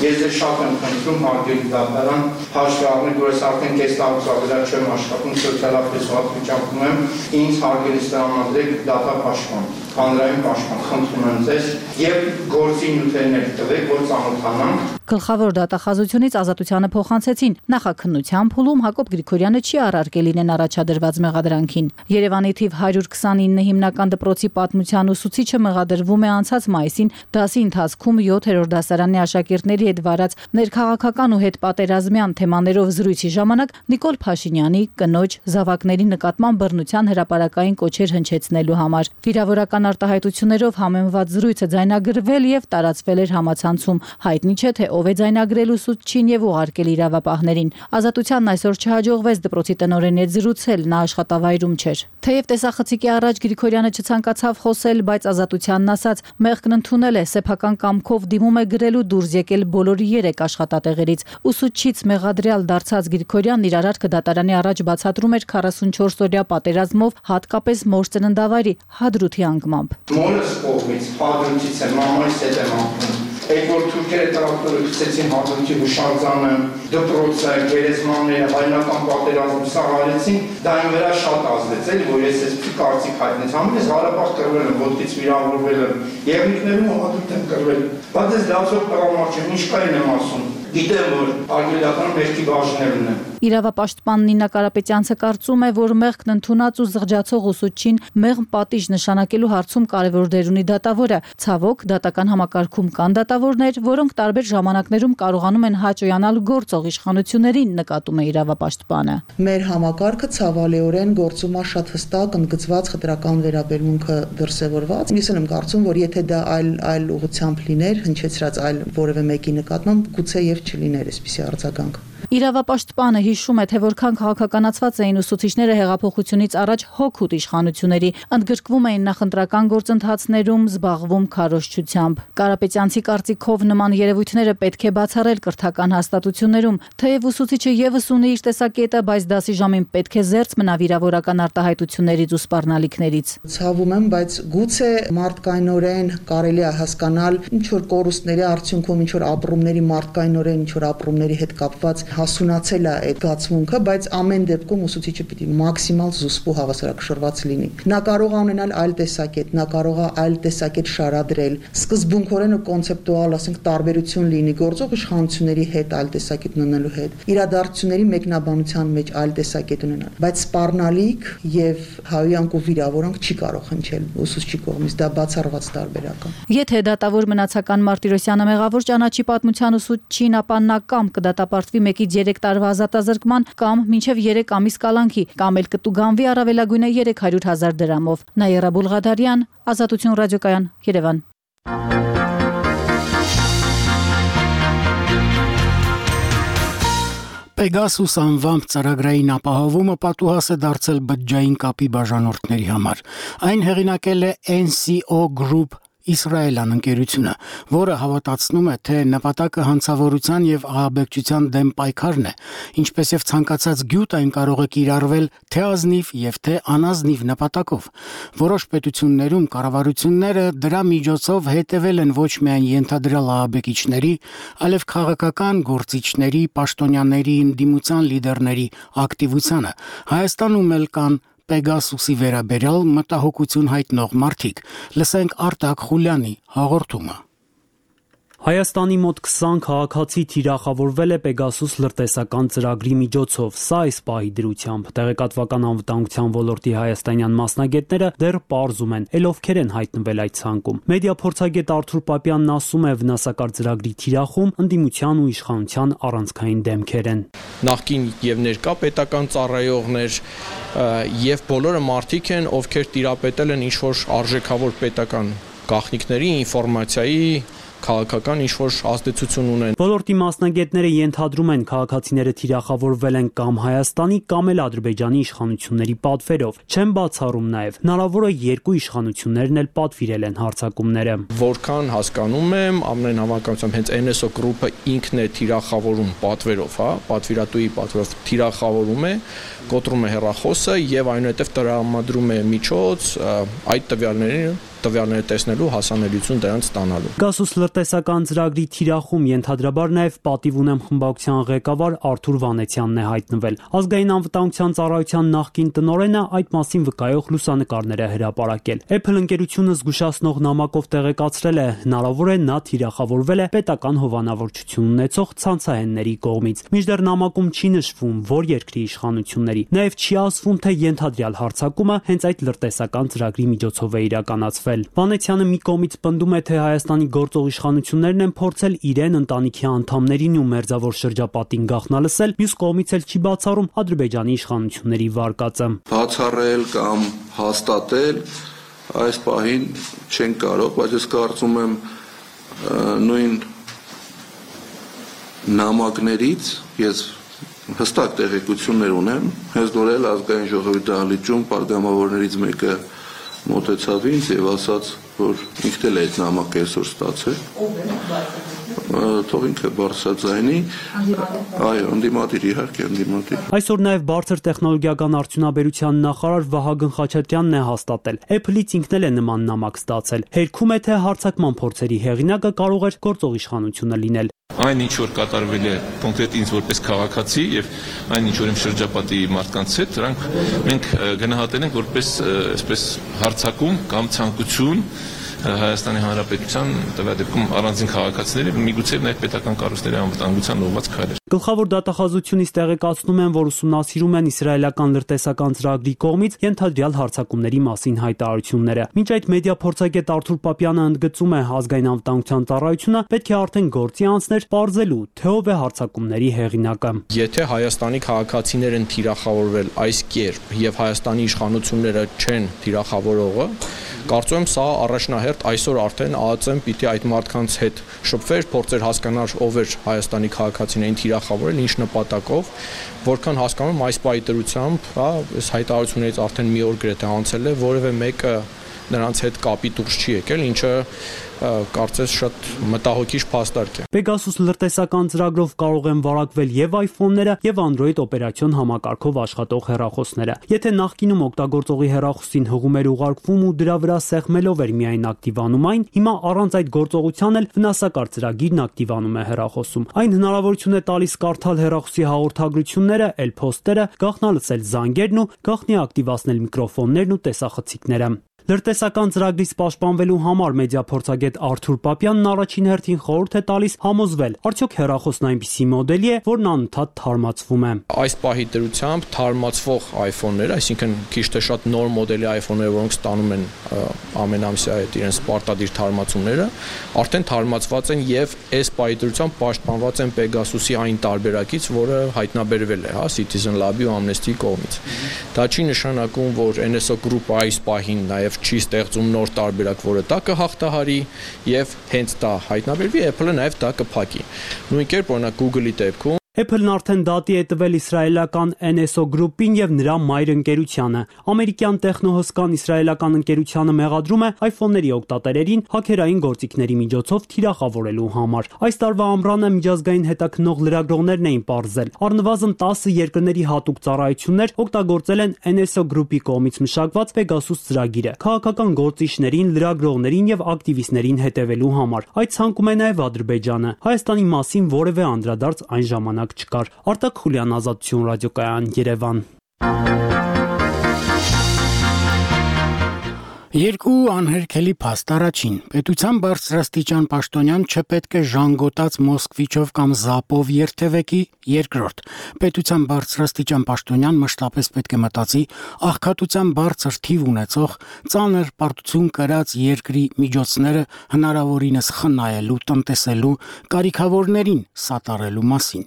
Ես դե շատ եմ խնդրում հարգելի դատարան, հաշվի առնել, որ ես արդեն կես տարուց ավելա չեմ աշխատում, սոցիալապես վատ վիճակում եմ, ինձ հարգելի տրամադրեք դատապաշտպան, հանրային պաշտպան, խնդրում եմ ձեզ եւ գործի նյութերներ տվեք, որ ծանոթանանք։ Գլխավոր դատախազությունից ազատությանը փոխանցեցին նախաքննության փուլում Հակոբ Գրիգորյանը չի առարկել իրեն առաջադրված մեղադրանքին։ Երևանի թիվ հարյուր քսանինը հիմնական դպրոցի պատմության ուսուցիչը մեղադրվում է անցած մայիսին դասի ընթացքում յոթերորդ դասարանի աշակերտների հետ վարած ներքաղաքական ու հետպատերազմյան թեմաներով զրույցի ժամանակ Նիկոլ Փաշինյանի կնոջ զավակների նկատմամբ բռնության հրապարակային կոչեր հնչեցնելու համար։ Վիրավորական արտահայտություններով համեմված զրույցը ձայնագրվել եւ տարածվել էր համացանցում։ Հայտնի չէ թե ով է ձայնագրել ուսուցչին եւ ուղարկել իրավապահներին։ Ազատությանն այսօր չհաջողվեց դպրոցի տնօրենի հետ զրուցել, նա աշխատավայրում չէր։ Թեև տեսախցիկի առաջ Գրիգորյանը չցանկացավ խոսել, բայց ազատությանն ասաց, մեղքն ընդունել է, սեփական կամքով դիմում է գրելու դուրս եկել բոլորի երեք աշխատատեղերից։ Ուսուցչից մեղադրյալ դարձած Գրիգորյանն իր արարքը դատարանի առաջ բացատրում էր քառասունչորս-օրյա պատերազմով, հատկապես մոր ծննդավայրի Հադրութի անկմամբ։ Մորս կողմից Հադրութից է մամայիս հետ եմ ապրում։ Այդ որ թուրքերը տրակտորը գցեցին Հադրութի հուշարձանը, դպրոցը, գերեզմանները, հայնական պատերազմը սա արեցին, դա այն վրա շատ ազդեց, էլի որ ես այսպես կարծիք հայտնեց, համենից Ղարաբաղ կռվել եմ, ոտքից վիրավորվել եմ, Եղնիկներում Հադրութ եմ կռվել։ Բայց ես լացող տղամարդ չեմ, ինչ կային եմ ասում։ Գիտեմ, որ արգելական մեղքի բաժներն են։ Իրավապաշտպան Նինա Կարապետյանցը կարծում է, որ մեղքն ընդունած ու զղջացող ուսուցչին մեղմ պատիժ նշանակելու հարցում կարևոր դեր ունի դատավորը։ Ցավոք, դատական համակարգում կան դատավորներ, որոնք տարբեր ժամանակներում կարողանում են հաճոյանալ գործող իշխանություններին, նկատում է իրավապաշտպանը։ Մեր համակարգը ցավալիորեն գործում է շատ հստակ ընդգծված խտրական վերաբերմունքը դրսևորված։ Ես եմ կարծում, որ եթե դա այլ այլ ուղղությամբ լիներ, հնչեցրած այլ որևէ մեկի նկատմամբ, գուցե եւ չլիներ այսպիսի արձագանք։ Իրավապաշտպանը հիշում է, թե որքան քաղաքականացված էին ուսուցիչները հեղափոխությունից առաջ հոգուտ իշխանությունների, ընդգրկվում էին նախընտրական գործընթացներում, զբաղվում քարոզչությամբ։ Կարապետյանցի կարծիքով նման երևույթները պետք է բացառել կրթական հաստատություններում, թեև ուսուցիչը եւս ունի իր տեսակետը, բայց դասի ժամին պետք է զերծ մնա վիրավորական արտահայտություններից ու սպառնալիքներից։ Ցավում եմ, բայց գուցե մարդկայնորեն կարելի է հասկանալ ինչ որ կորուստների արդյունքում, ինչ որ ապրումների մարդկայնորեն, ինչ որ ապրումների հետ կապված հասունացել է այդ գացմունքը, բայց ամեն դեպքում ուսուցիչը պիտի մաքսիմալ զուսպ ու հավասարակշռված լինի։ Նա կարող է ունենալ այլ տեսակետ, նա կարող է այլ տեսակետ շարադրել, սկզբունքորեն ու կոնցեպտուալ, ասենք, տարբերություն լինի գործող իշխանությունների հետ այլ տեսակետ ունենալու հետ, իրադարձությունների մեկնաբանության մեջ այլ տեսակետ ունենալ, բայց սպառնալիք եւ հայոյանք ու վիրավորանք չի կարող հնչել ուսուցչի կողմից, դա բացառված տարբերակ է։ Եթե դատավոր մնացական Մարտիրոսյանը մեղավոր ճանաչի պատմության ուսուցչին, ապա նա կամ կդատապարտվի մեկից երեք տարվա ազատազրկման կամ մինչև երեք ամիս կալանքի, կամ էլ կտուգանվի առավելագույնը երեք հարյուր հազար դրամով։ Նաիրա Բուլղադարյան, Ազատություն ռադիոկայան, Երևան։ Պեգասուս անվամբ ծրագրային ապահովումը պատուհաս է դարձել բջջային կապի բաժանորդների համար։ Այն հեղինակել է N C O Group Իսրայելյան ընկերությունը, որը հավատացնում է, թե նպատակը հանցավորության եւ ահաբեկչության դեմ պայքարն է, ինչպես եւ ցանկացած գյուտ այն կարող է կիրառվել թե ազնիվ եւ թե անազնիվ նպատակով։ Որոշ պետություններում կառավարությունները դրա միջոցով հետևել են ոչ միայն ենթադրյալ ահաբեկիչների, այլև քաղաքական գործիչների, պաշտոնյաների, ընդդիմության լիդերների ակտիվությանը։ Հայաստանում էլ կան Պեգասուսի վերաբերյալ մտահոգություն հայտնող մարդիկ։ Լսենք Արտակ Խուլյանի հաղորդումը։ Հայաստանի մոտ քսան քաղաքացի թիրախավորվել է Պեգասուս լրտեսական ծրագրի միջոցով, սա այս պահի դրությամբ։ Տեղեկատվական անվտանգության ոլորտի հայաստանյան մասնագետները դեռ պարզում են, էլ ովքեր են հայտնվել այդ ցանկում։ Մեդիա փորձագետ Արթուր Պապյանն ասում է, վնասակար ծրագրի թիրախում ընդդիմության ու իշխանության առանցքային դեմքեր են։ Նախկին եւ ներկա պետական ծառայողներ եւ բոլորը մարդիկ են, ովքեր տիրապետել են ինչ-որ արժեքավոր պետական գաղտնիքների, ինֆորմացիայի, քաղաքական ինչ-որ ազդեցություն ունեն։ Ոլորտի մասնագետները ենթադրում են, քաղաքացիները թիրախավորվել են կամ Հայաստանի կամ էլ Ադրբեջանի իշխանությունների պատվերով։ Չեն բացառում նաև, հնարավոր է երկու իշխանություններն էլ պատվիրել են հարձակումները։ Որքան հասկանում եմ, ամեն հավանականությամբ հենց N S O գրուպը ինքն է թիրախավորում պատվերով, հա, պատվիրատուի պատվերով թիրախավորում է, կոտրում է հեռախոսը եւ այնուհետեւ տրամադրում է միջոց այդ տվյալներին տվյալները տեսնելու հասանելիություն դրանց ստանալու։ Պեգասուս լրտեսական ծրագրի թիրախում ենթադրաբար նաև պատիվ ունեմ խմբակցության ղեկավար Արթուր Վանեցյանն է հայտնվել։ Ազգային անվտանգության ծառայության նախկին տնօրենը այդ մասին վկայող լուսանկարներ է հրապարակել։ Apple ընկերությունը զգուշացնող նամակով տեղեկացրել է, հնարավոր է նա թիրախավորվել է պետական հովանավորչություն ունեցող ցանցահենների կողմից։ Մինչդեռ նամակում չի նշվում, որ երկրի իշխանությունների։ Նաև չի ասվում, թե ենթադրյալ հարձակումը հենց այդ լրտեսական ծրագրի միջոցով է իրականացվել։ Վանեցյանը մի կողմից պնդում է, թե Հայաստանի գործող իշխանություններն են փորձել իրեն, ընտանիքի անդամներին ու մերձավոր շրջապատին գաղտնալսել, մյուս կողմից էլ չի բացառում Ադրբեջանի իշխանությունների վարկածը։ Բացառել կամ հաստատել այս պահին չեն կարող, բայց ես կարծում եմ նույն նամակներից ես հստակ տեղեկություններ ունեմ, հենց նոր էլ ազգային ժողովի դահլիճում պատգամավորներից մեկը մոտեցավ ինձ եւ ասաց, որ ինքն էլ այդ նամակը այսօր ստացել։ Թող ինքը բարձրաձայնի, այո, ընդդիմադիր, իհարկե ընդդիմադիր։ Այսօր նաև բարձր տեխնոլոգիական արդյունաբերության նախարար Վահագն Խաչատրյանն է հաստատել։ Apple-ից ինքն էլ է նման նամակ ստացել։ Հերքում է, թե հարձակման փորձերի հեղինակը կարող էր գործող իշխանությունը լինել։ Այն ինչ որ կատարվել է կոնկրետ ինձ որպես քաղաքացի եւ այն ինչ որ իմ շրջապատի մարդկանց հետ, դրանք մենք գնահատել ենք որպես այսպես հարձակում կամ ցանկություն Հայաստանի Հանրապետության տվյալ դեպքում առանձին քաղաքացիների, միգուցե նաև պետական կառույցների անվտանգության ուղղված քայլեր։ Գլխավոր դատախազությունից տեղեկացնում են, որ ուսումնասիրում են իսրայելական լրտեսական ծրագրի կողմից ենթադրյալ հարձակումների մասին հայտարարությունները։ Մինչ այդ մեդիա փորձագետ Արթուր Պապյանը ընդգծում է, ազգային անվտանգության ծառայությունը պետք է արդեն գործի անցներ պարզելու, թե ով է հարձակումների հեղինակը։ Եթե Հայաստանի քաղաքացիներ են թիրախավորվել այս կերպ եւ Հայաստանի իշխանությունները չեն թիրախավորողը, կարծում եմ սա առաջնահերթ այսօր արդեն ԱԱԾ-ն պիտի այդ մարդկանց հետ շփվեր, փորձեր հասկանալ ով էր Հայաստանի քաղաքացիներին թիրախավորել, ինչ նպատակով, որքան հասկանում եմ այս պահի դրությամբ, հա, այս հայտարարություններից արդեն մի օր գրեթե անցել է, որևէ մեկը նրանց հետ կապի դուրս չի եկել, ինչը կարծես շատ մտահոգիչ փաստարկ է։ Պեգասուս լրտեսական ծրագրով կարող են վարակվել եւ iPhone-ները եւ Android օպերացիոն համակարգով աշխատող հեռախոսները։ Եթե նախկինում օգտագործողի հեռախոսին հղում էր ուղարկվում ու դրա վրա սեղմելով էր միայն ակտիվանում այն, հիմա առանց այդ գործողության էլ վնասակար ծրագիրն ակտիվանում է հեռախոսում։ Այն հնարավորություն է տալիս կարդալ հեռախոսի հաղորդագրությունները, էլ փոստերը, գաղտնալսել զանգերն ու գաղտնի ակտիվացնել միկրոֆոններն ու տեսախցիկները։ Լրտեսական ծրագրից պաշտպանվելու համար մեդիա փորձագետ Արթուր Պապյանն առաջին հերթին խորհուրդ է տալիս համոզվել, արդյոք հեռախոսն այնպիսի մոդելի է, որն անընդհատ թարմացվում է։ Այս պահի դրությամբ թարմացվող iPhone-ները, այսինքն քիչ թե շատ նոր մոդելի iPhone-ները, որոնք ստանում են ամենամսյա այդ իրենց պարտադիր թարմացումները, արդեն թարմացված են եւ այս պահի դրությամբ պաշտպանված են Pegasus-ի այն տարբերակից, որը հայտնաբերվել է, հա, Citizen Lab-ի ու Amnesty-ի կողմից։ Դա չի նշանակում, որ N S O Group-ը այս պահին նաեւ չի ստեղծում նոր տարբերակ, որը դա կհաղթահարի եւ հենց դա հայտնաբերվի, Apple-ը նաեւ դա կփակի։ Նույն կերպ օրինակ Google-ի դեպքում Apple-ն արդեն դատի է տվել իսրայելական N S O գրուպին եւ նրա մայր ընկերությանը։ Ամերիկյան տեխնոհոսքան իսրայելական ընկերությանը մեղադրում է iPhone-ների օգտատերերին հաքերային գործիքների միջոցով թիրախավորելու համար։ Այս տարվա ամռանը միջազգային հետաքննող լրագրողներն էին պարզել, առնվազն տասը երկրների հատուկ ծառայություններ օգտագործել են N S O գրուպի կողմից մշակված Pegasus ծրագիրը քաղաքական գործիչներին, լրագրողներին եւ ակտիվիստներին հետևելու համար։ Այդ ցանկում է նաեւ Ադրբեջանը։ Հայաստանի մասին որևէ անդրադարձ այն ժամանակ չկար։ Արտակ Խուլյան, Ազատություն ռադիոկայան, Երևան։ Երկու անհերքելի փաստ առաջին պետության բարձրաստիճան պաշտոնյան չպետք է ժանգոտած Մոսկվիչով կամ Զապով երթևեկի, երկրորդ պետության բարձրաստիճան պաշտոնյան մշտապես պետք է մտածի աղքատության բարձր թիվ ունեցող ծանր պարտություն կրած երկրի միջոցները հնարավորինս խնայելու, տնտեսելու, կարիքավորներին սատարելու մասին։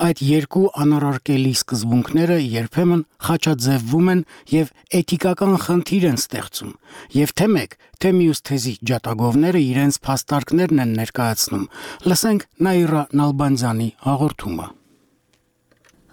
Այդ երկու անառարկելի սկզբունքները երբեմն խաչաձևվում են եւ էթիկական խնդիր են ստեղծում։ Եվ թե մեկ, թե մյուս թեզի ջատագովները իրենց փաստարկներն են ներկայացնում։ Լսենք Նաիրա Նալբանդյանի հաղորդումը։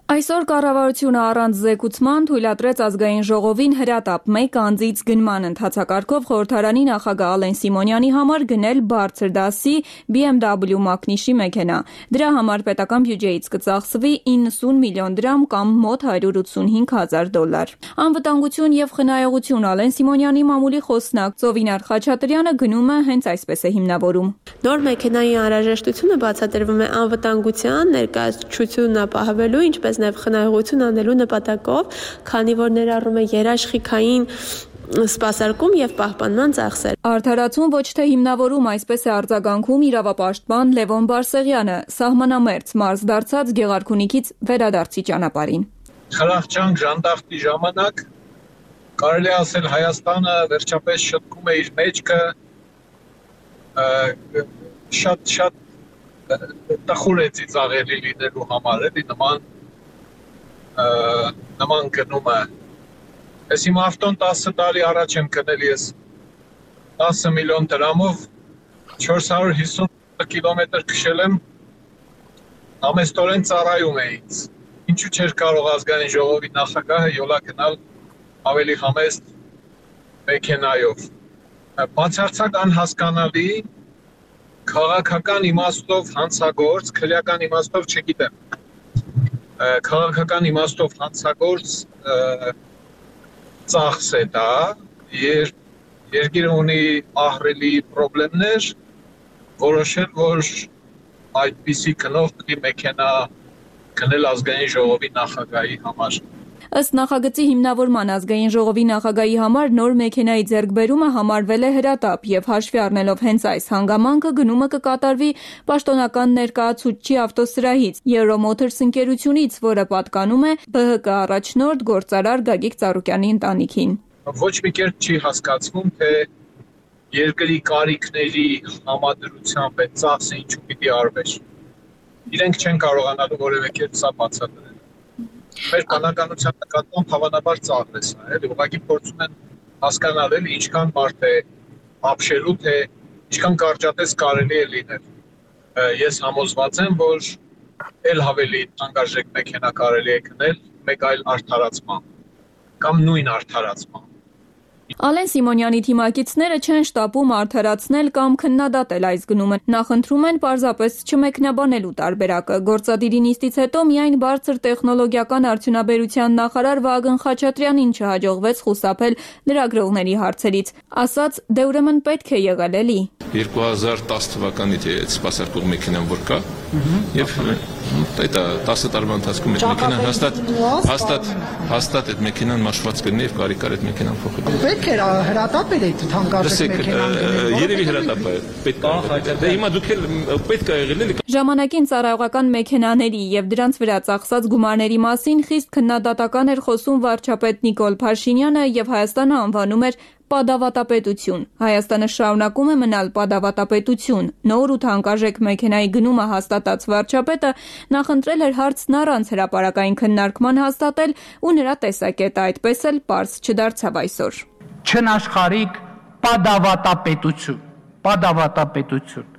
Այսօր կառավարությունը առանց զեկուցման թույլատրեց ազգային ժողովին հրատապ մեկ անձից գնման ընթացակարգով խորհրդարանի նախագահ Ալեն Սիմոնյանի համար գնել բարձր դասի B M W մակնիշի մեքենա։ Դրա համար պետական բյուջեից կծախսվի իննսուն միլիոն դրամ կամ մոտ հարյուր ութսունհինգ հազար դոլար։ Անվտանգություն եւ խնայողություն Ալեն Սիմոնյանի մամուլի խոսնակ Ծովինար Խաչատրյանը գնումը հենց այսպես է հիմնավորում։ Նոր մեքենայի անհրաժեշտությունը բացատրվում է անվտանգության, ներկայացությունն ապահովելու, ինչպես նաև խնայողություն անելու նպատակով, քանի որ ներառում է երաշխիքային սպասարկում եւ պահպանման ծախսեր։ Արդարացում ոչ թե հիմնավորում, այսպես է արձագանքում իրավապաշտպան Լևոն Բարսեղյանը, սահմանամերձ մարզ դարձած Գեղարքունիքից վերադարձի ճանապարհին։ Խրախճանք ժանդախտի ժամանակ կարելի է ասել Հայաստանը վերջապես շտկում է իր մեջքը շատ շատ տխուր է ծիծաղելի լինելու համար, էլի նման նման գնումը։ Ես իմ ավտոն տասը տարի առաջ եմ գնել ես տասը միլիոն դրամով չորս հարյուր հիսուն կիլոմետր քշել եմ, ամեստորեն ծառայում է ինձ։ Ինչու չէր կարող ազգային ժողովի նախագահը յոլա գնալ ավելի համեստ մեքենայով։ Բացարձակ անհասկանալի, քաղաքական իմաստով հանցագործ, քրեական իմաստով չգիտեմ։ Քաղաքական իմաստով հանցագործ ծախս է դա, երբ երկիրը ունի ահռելի պրոբլեմներ, որոշել, որ այդպիսի գնով մեքենա գնել ազգային ժողովի նախագահի համար։ Ըստ նախագծի հիմնավորման ազգային ժողովի նախագահի համար նոր մեքենայի ձեռքբերումը համարվել է հրատապ եւ հաշվի առնելով հենց այս հանգամանքը գնումը կկատարվի պաշտոնական ներկայացուցչի ավտոսրահից Euromotors ընկերությունից, որը պատկանում է B H K առաջնորդ գործարար Գագիկ Ծառուկյանի ընտանիքին։ Ոչ մի կերպ չի հասկացվում, թե երկրի կարիքների համադրությամբ այդ ծախսը ինչու պիտի արվեր։ Իրենք չեն կարողանալու որևէ կերպ սա բացատրել։ Մեր բանականության նկատմամբ հավանաբար ծաղր է սա, էլի ուղղակի փորձում են հասկանալ, էլի ինչքան բարդ է ապշելու, թե ինչքան կարճատես կարելի է լինել։ Ես համոզված եմ, որ էլ ավելի անգարժեք մեքենա կարելի է գնել մեկ այլ արդարացման կամ նույն արդարացման։ Ալեն Սիմոնյանի թիմակիցները չեն շտապում արդարացնել կամ քննադատել այս գնումը։ Նախընտրում են պարզապես չմեկնաբանելու տարբերակը։ Գործադիրի նիստից հետո միայն բարձր տեխնոլոգիական արդյունաբերության նախարար Վահագն Խաչատրյանին չհաջողվեց խուսափել լրագրողների հարցերից։ Ասաց, դե ուրեմն պետք է եղել էլի։ երկու հազար տասը թվականից է այդ սպասարկող մեքենան որ կա, եւ դա տասը տարվա ընթացքում այդ մեքենան հաստատ հաստատ հաստատ այդ մեքենան մաշված կլինի եւ կարի կար այդ մեքենան փոխել։ Պետք է հրատապ էր այդ թանկարժեք մեքենան գնել։ Երևի հրատապ է, պետք է։ Դե հիմա դուք էլ պետք է եղել էլի։ Ժամանակին ծառայողական մեքենաների եւ դրանց վրա ծախսած գումարների մասին խիստ քննադատական էր խոսում վարչապետ Նիկոլ Փաշինյանը եւ Հայաստանը անվանում էր Պադավատապետություն։ Հայաստանը շարունակում է մնալ պադավատապետություն։ Նոր ու թանկարժեք մեքենայի գնումը հաստատած վարչապետը նախընտրել էր հարցն առանց հրապարակային քննարկման հաստատել ու նրա տեսակետը այդպես էլ պարզ չդարձավ այսօր։ Չնաշխարհիկ պադավատապետություն, պադավատապետություն։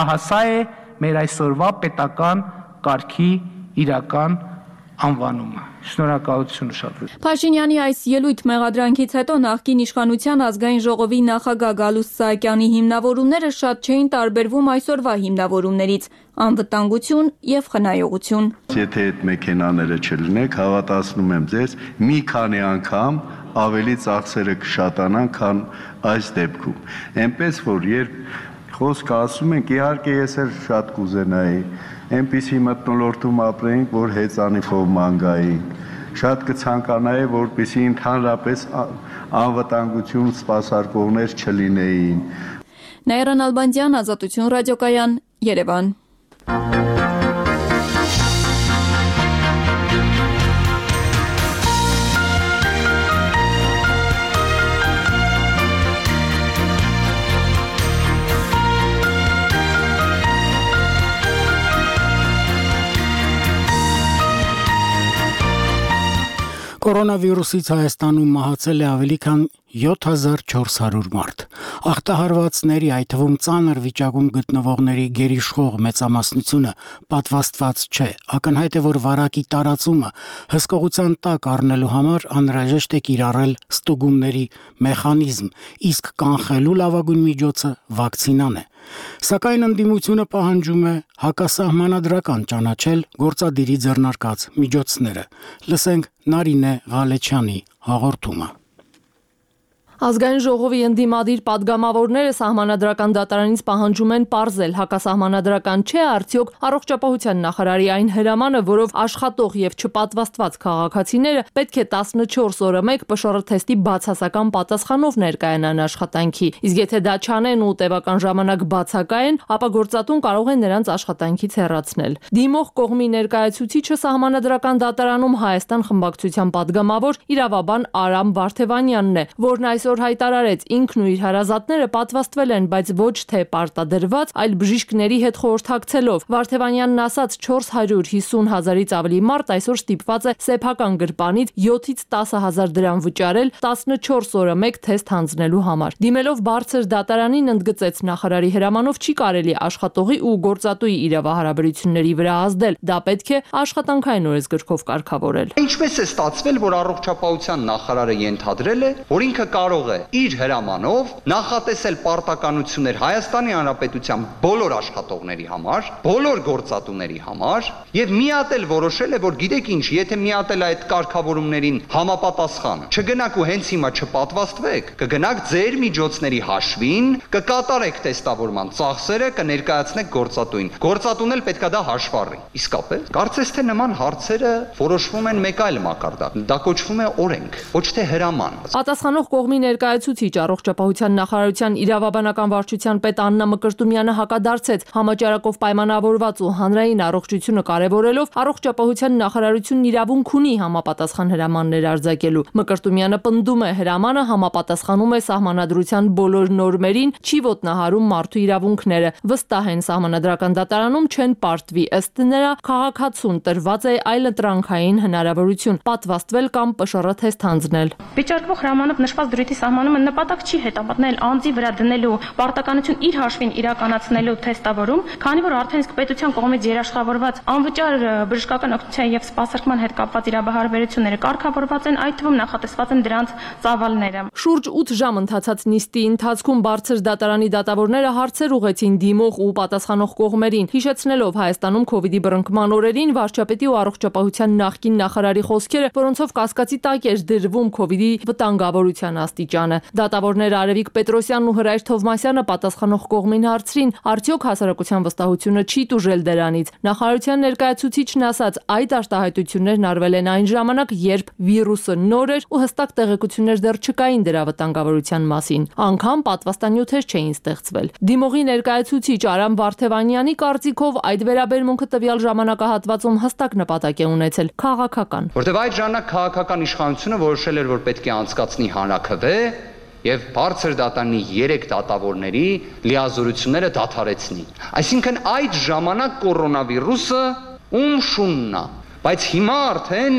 Ահա սա է մեր այսօրվա պետական կարգի իրական անվանումը։ Շնորհակալություն շատ։ Փաշինյանի այս ելույթ մեղադրանքից հետո նախկին իշխանության ազգային ժողովի նախագահ Գալուստ Սահակյանի հիմնավորումները շատ չէին տարբերվում այսօրվա հիմնավորումներից՝ անվտանգություն եւ խնայողություն։ Եթե այդ մեքենաները չլինեք, հավատացնում եմ ձեզ, մի քանի անգամ ավելի ծախսերը կշատանան, քան այս դեպքում։ Էնպես որ երբ խոսքը ասում ենք, իհարկե ես էլ շատ կուզենայի այնպիսի մթնոլորտում ապրեինք, որ հեծանիվով ման գայինք։ Շատ կցանկանայի, որպեսզի ընդհանրապես անվտանգություն սպասարկողներ չլինեին։ Նաիրա Նալբանդյան, Ազատություն ռադիոկայան, Երևան։ Կորոնավիրուսից Հայաստանում մահացել է ավելի քան յոթ հազար չորս հարյուր մարդ։ Ախտահարվածների, այդ թվում ծանր վիճակում գտնվողների գերիշխող մեծամասնությունը պատվաստված չէ։ Ակնհայտ է, որ վարակի տարածումը հսկողության տակ առնելու համար անհրաժեշտ է կիրառել ստուգումների մեխանիզմ, իսկ կանխելու լավագույն միջոցը վակցինան է։ Սակայն ընդդիմությունը պահանջում է հակասահմանադրական ճանաչել գործադիրի ձեռնարկած միջոցները։ Լսենք Նարինե Ղալեչյանի հաղորդումը։ Ազգային ժողովի ընդդիմադիր падգամավորները սահմանադրական դատարանից պահանջում են պարզել հակասահմանադրական չէ արդյոք առողջապահության նախարարի այն հրամանը, որով աշխատող եւ չպատվաստված քաղաքացիները պետք է տասնչորս օրը մեկ Պ Շ R թեստի բացասական պատասխանով ներկայանան աշխատանքի, իսկ եթե դա չանեն ու տևական ժամանակ բացակայեն, ապա գործատուն կարող է նրանց աշխատանքից հեռացնել։ Դիմող կողմի ներկայացուցիչը սահմանադրական դատարանում Հայաստան խմբակցության падգամավոր իրավաբան Արամ Վարդևանյանն է, որն այսօր հայտարարեց ինքն ու իր հարազատները պատվաստվել են, բայց ոչ թե պարտադրված, այլ բժիշկների հետ խորհրդակցելով։ Վարդևանյանն ասաց չորս հարյուր հիսուն հազարից ավելի մարդ այսօր ստիպված է սեփական գրպանից յոթից տասը հազար դրամ վճարել տասնչորս օրը մեկ թեստ հանձնելու համար։ Դիմելով բարձր դատարանին ընդգծեց նախարարի հրամանով չի կարելի աշխատողի ու գործատուի իրավահարաբերությունների վրա ազդել։ Դա պետք է աշխատանքային օրենսգրքով կարգավորել։ Ինչպես է ստացվել, որ առողջապահության նախարարը ենթադրել է, որ ինքը կարող է իր հրամանով նախատեսել պարտականություններ Հայաստանի Հանրապետության բոլոր աշխատողների համար, բոլոր գործատուների համար եւ միատել որոշել է, որ գիտեք ինչ, եթե միատել այդ կարգավորումներին համապատասխան, չգնաք ու հենց հիմա չպատվաստվեք, կգնաք ձեր միջոցների հաշվին, կկատարեք տեստավորման ծախսերը, կներկայացնեք գործատուին։ Գործատուն էլ պետքա դա հաշվառի։ Իսկապես, կարծես թե նման հարցերը որոշվում են մեկ այլ մակարդակ։ Դա կոչվում է օրենք, ոչ թե հրաման։ Պատասխանող կողմի ներկայացուցիչ առողջապահության նախարարության իրավաբանական վարչության պետ Աննա Մկրտումյանը հակադարձեց համաճարակով պայմանավորված ու հանրային առողջությունը կարևորելով առողջապահության նախարարությունն իրավունք ունի համապատասխան հրամաններ արձակելու։ Մկրտումյանը պնդում է հրամանը համապատասխանում է սահմանադրության բոլոր նորմերին, չի ոտնահարում մարդու իրավունքները։ Վստահ են սահմանադրական դատարանում չեն պարտվի, ըստ նրա քաղաքացուն տրված է այլընտրանքային հնարավորություն պատվաստվել կամ Պ Շ R թեստ հանձնել։ Վիճարկվող հրամանով նշված դրույթի սահմանումը նպատակ չի հետապնդել անձի վրա դնելու պարտականություն իր հաշվին իրականացնելու թեստավորում, քանի որ արդեն իսկ պետության կողմից երաշխավորված անվճար բժշկական օգնության եւ սպասարկման հետ կապված իրավահարաբերությունները կարգավորված են, այդ թվում նախատեսված են դրանց ծավալները։ Շուրջ ութ ժամ ընթացած նիստի ընթացքում բարձր դատարանի դատավորները հարցեր ուղղեցին դիմող ու պատասխանող կողմերին, հիշեցնելով Հայաստանում քովիդի բռնկման օրերին վարչապետի ու առողջապահության նախկին նախարարի խոսքերը, որոնցով կասկածի տակ էր դրվում քովիդի վտանգավորության աստիճանը։ Դատավորներ Արևիկ Պետրոսյանն ու Հրայր Թովմասյանը պատասխանող կողմին հարցրին, արդյոք հասարակության վստահությունը չի տուժել դրանից։ Նախարարության ներկայացուցիչն ասաց, այդ արտահայտություններն արվել են այն ժամանակ, երբ վիրուսը նոր էր ու հստակ տեղեկություններ դեռ չկային դրա վտանգավորության մասին։ Անգամ պատվաստանյութեր չէին ստեղծվել։ Դիմողի ներկայացուցիչ Արամ Վարդևանյանի կարծիքով այդ վերաբերմունքը տվյալ ժամանակահատվածում հստակ նպատակ է ունեցել քաղաքական։ Որտեղ այդ ժամանակ քաղաքական իշխանությունը որոշել էր, որ պետք է անցկացնի հանրաքվե եւ բարձր դատարանի երեք դատավորների լիազորությունները դադարեցնի։ Այսինքն այդ ժամանակ կորոնավիրուսը ում շունն է, բայց հիմա արդեն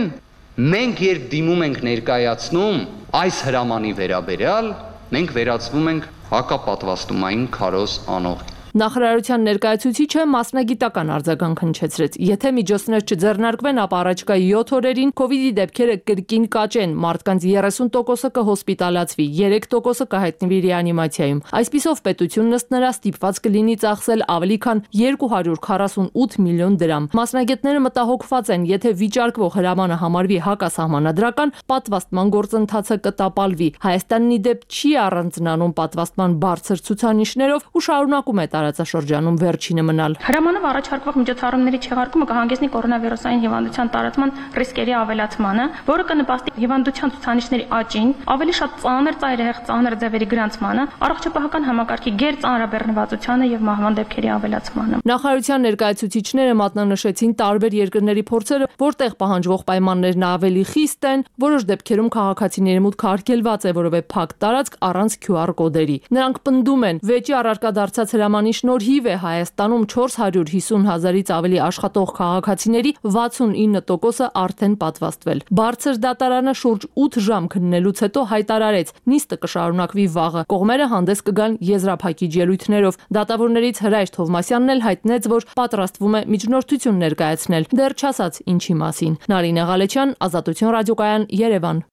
մենք երբ դիմում ենք ներկայացնում այս հրամանի վերաբերյալ, մենք վերածվում ենք հակապատվաստումային քարոզ անող։ Նախարարության ներկայացուցիչը մասնագիտական արձագանք հնչեցրեց. եթե միջոցներ չձեռնարկվեն, ապա առաջիկա յոթ օրերին կովիդի դեպքերը կրկին կաճեն, մարդկանց երեսուն տոկոսը կհոսպիտալացվի, երեք տոկոսը կհայտնվի ռեանիմացիայում։ Այսպիսով պետությունն ըստ նրա ստիպված կլինի ծախսել ավելի քան երկու հարյուր քառասունութ միլիոն դրամ։ Մասնագետները մտահոգված են, եթե վիճարկվող հրամանը համարվի հակասահմանադրական, պատվաստման գործընթացը կտապալվի։ Հայաստանն ի դեպ չի առանձնանում պատվաստման բարձր ցուցանիշներով ու շարունակում է տարածաշրջանում վերջինը մնալ։ Հրամանով առաջարկվող միջոցառումների չեղարկումը կհանգեցնի կորոնավիրուսային հիվանդության տարածման ռիսկերի ավելացմանը, որը կնպաստի հիվանդության ցուցանիշների աճին, ավելի շատ ծանր ծայրահեղ ծանր ձևերի գրանցմանը, առողջապահական համակարգի գերծանրաբեռնվածությանը եւ մահվան դեպքերի ավելացմանը։ Նախարարության ներկայացուցիչները մատնանշեցին տարբեր երկրների փորձերը, որտեղ պահանջվող պայմաններն ավելի խիստ են, որոշ դեպքերում քաղաքացիների մուտքը արգելված է, որովե փակ տարածք առանց քյու ար կոդերի։ Նրանք պնդում են, վեճի առարկա դարձած հրամանի շնորհիվ է Հայաստանում չորս հարյուր հիսուն հազարից ավելի աշխատող քաղաքացիների վաթսունինը տոկոսը արդեն պատվաստվել։ Բարձր դատարանը շուրջ ութ ժամ քննելուց հետո հայտարարեց, նիստը կշարունակվի վաղը։ Կողմերը հանդես կգան եզրափակիչ ելույթներով։ Դատավորներից Հրայր Թովմասյանն էլ հայտնեց, որ պատրաստվում է միջնորդություն ներկայացնել, դեռ չասաց ինչի մասին։ Նարինե Ղալեչյան, Ազատություն ռադիոկայան, Երևան։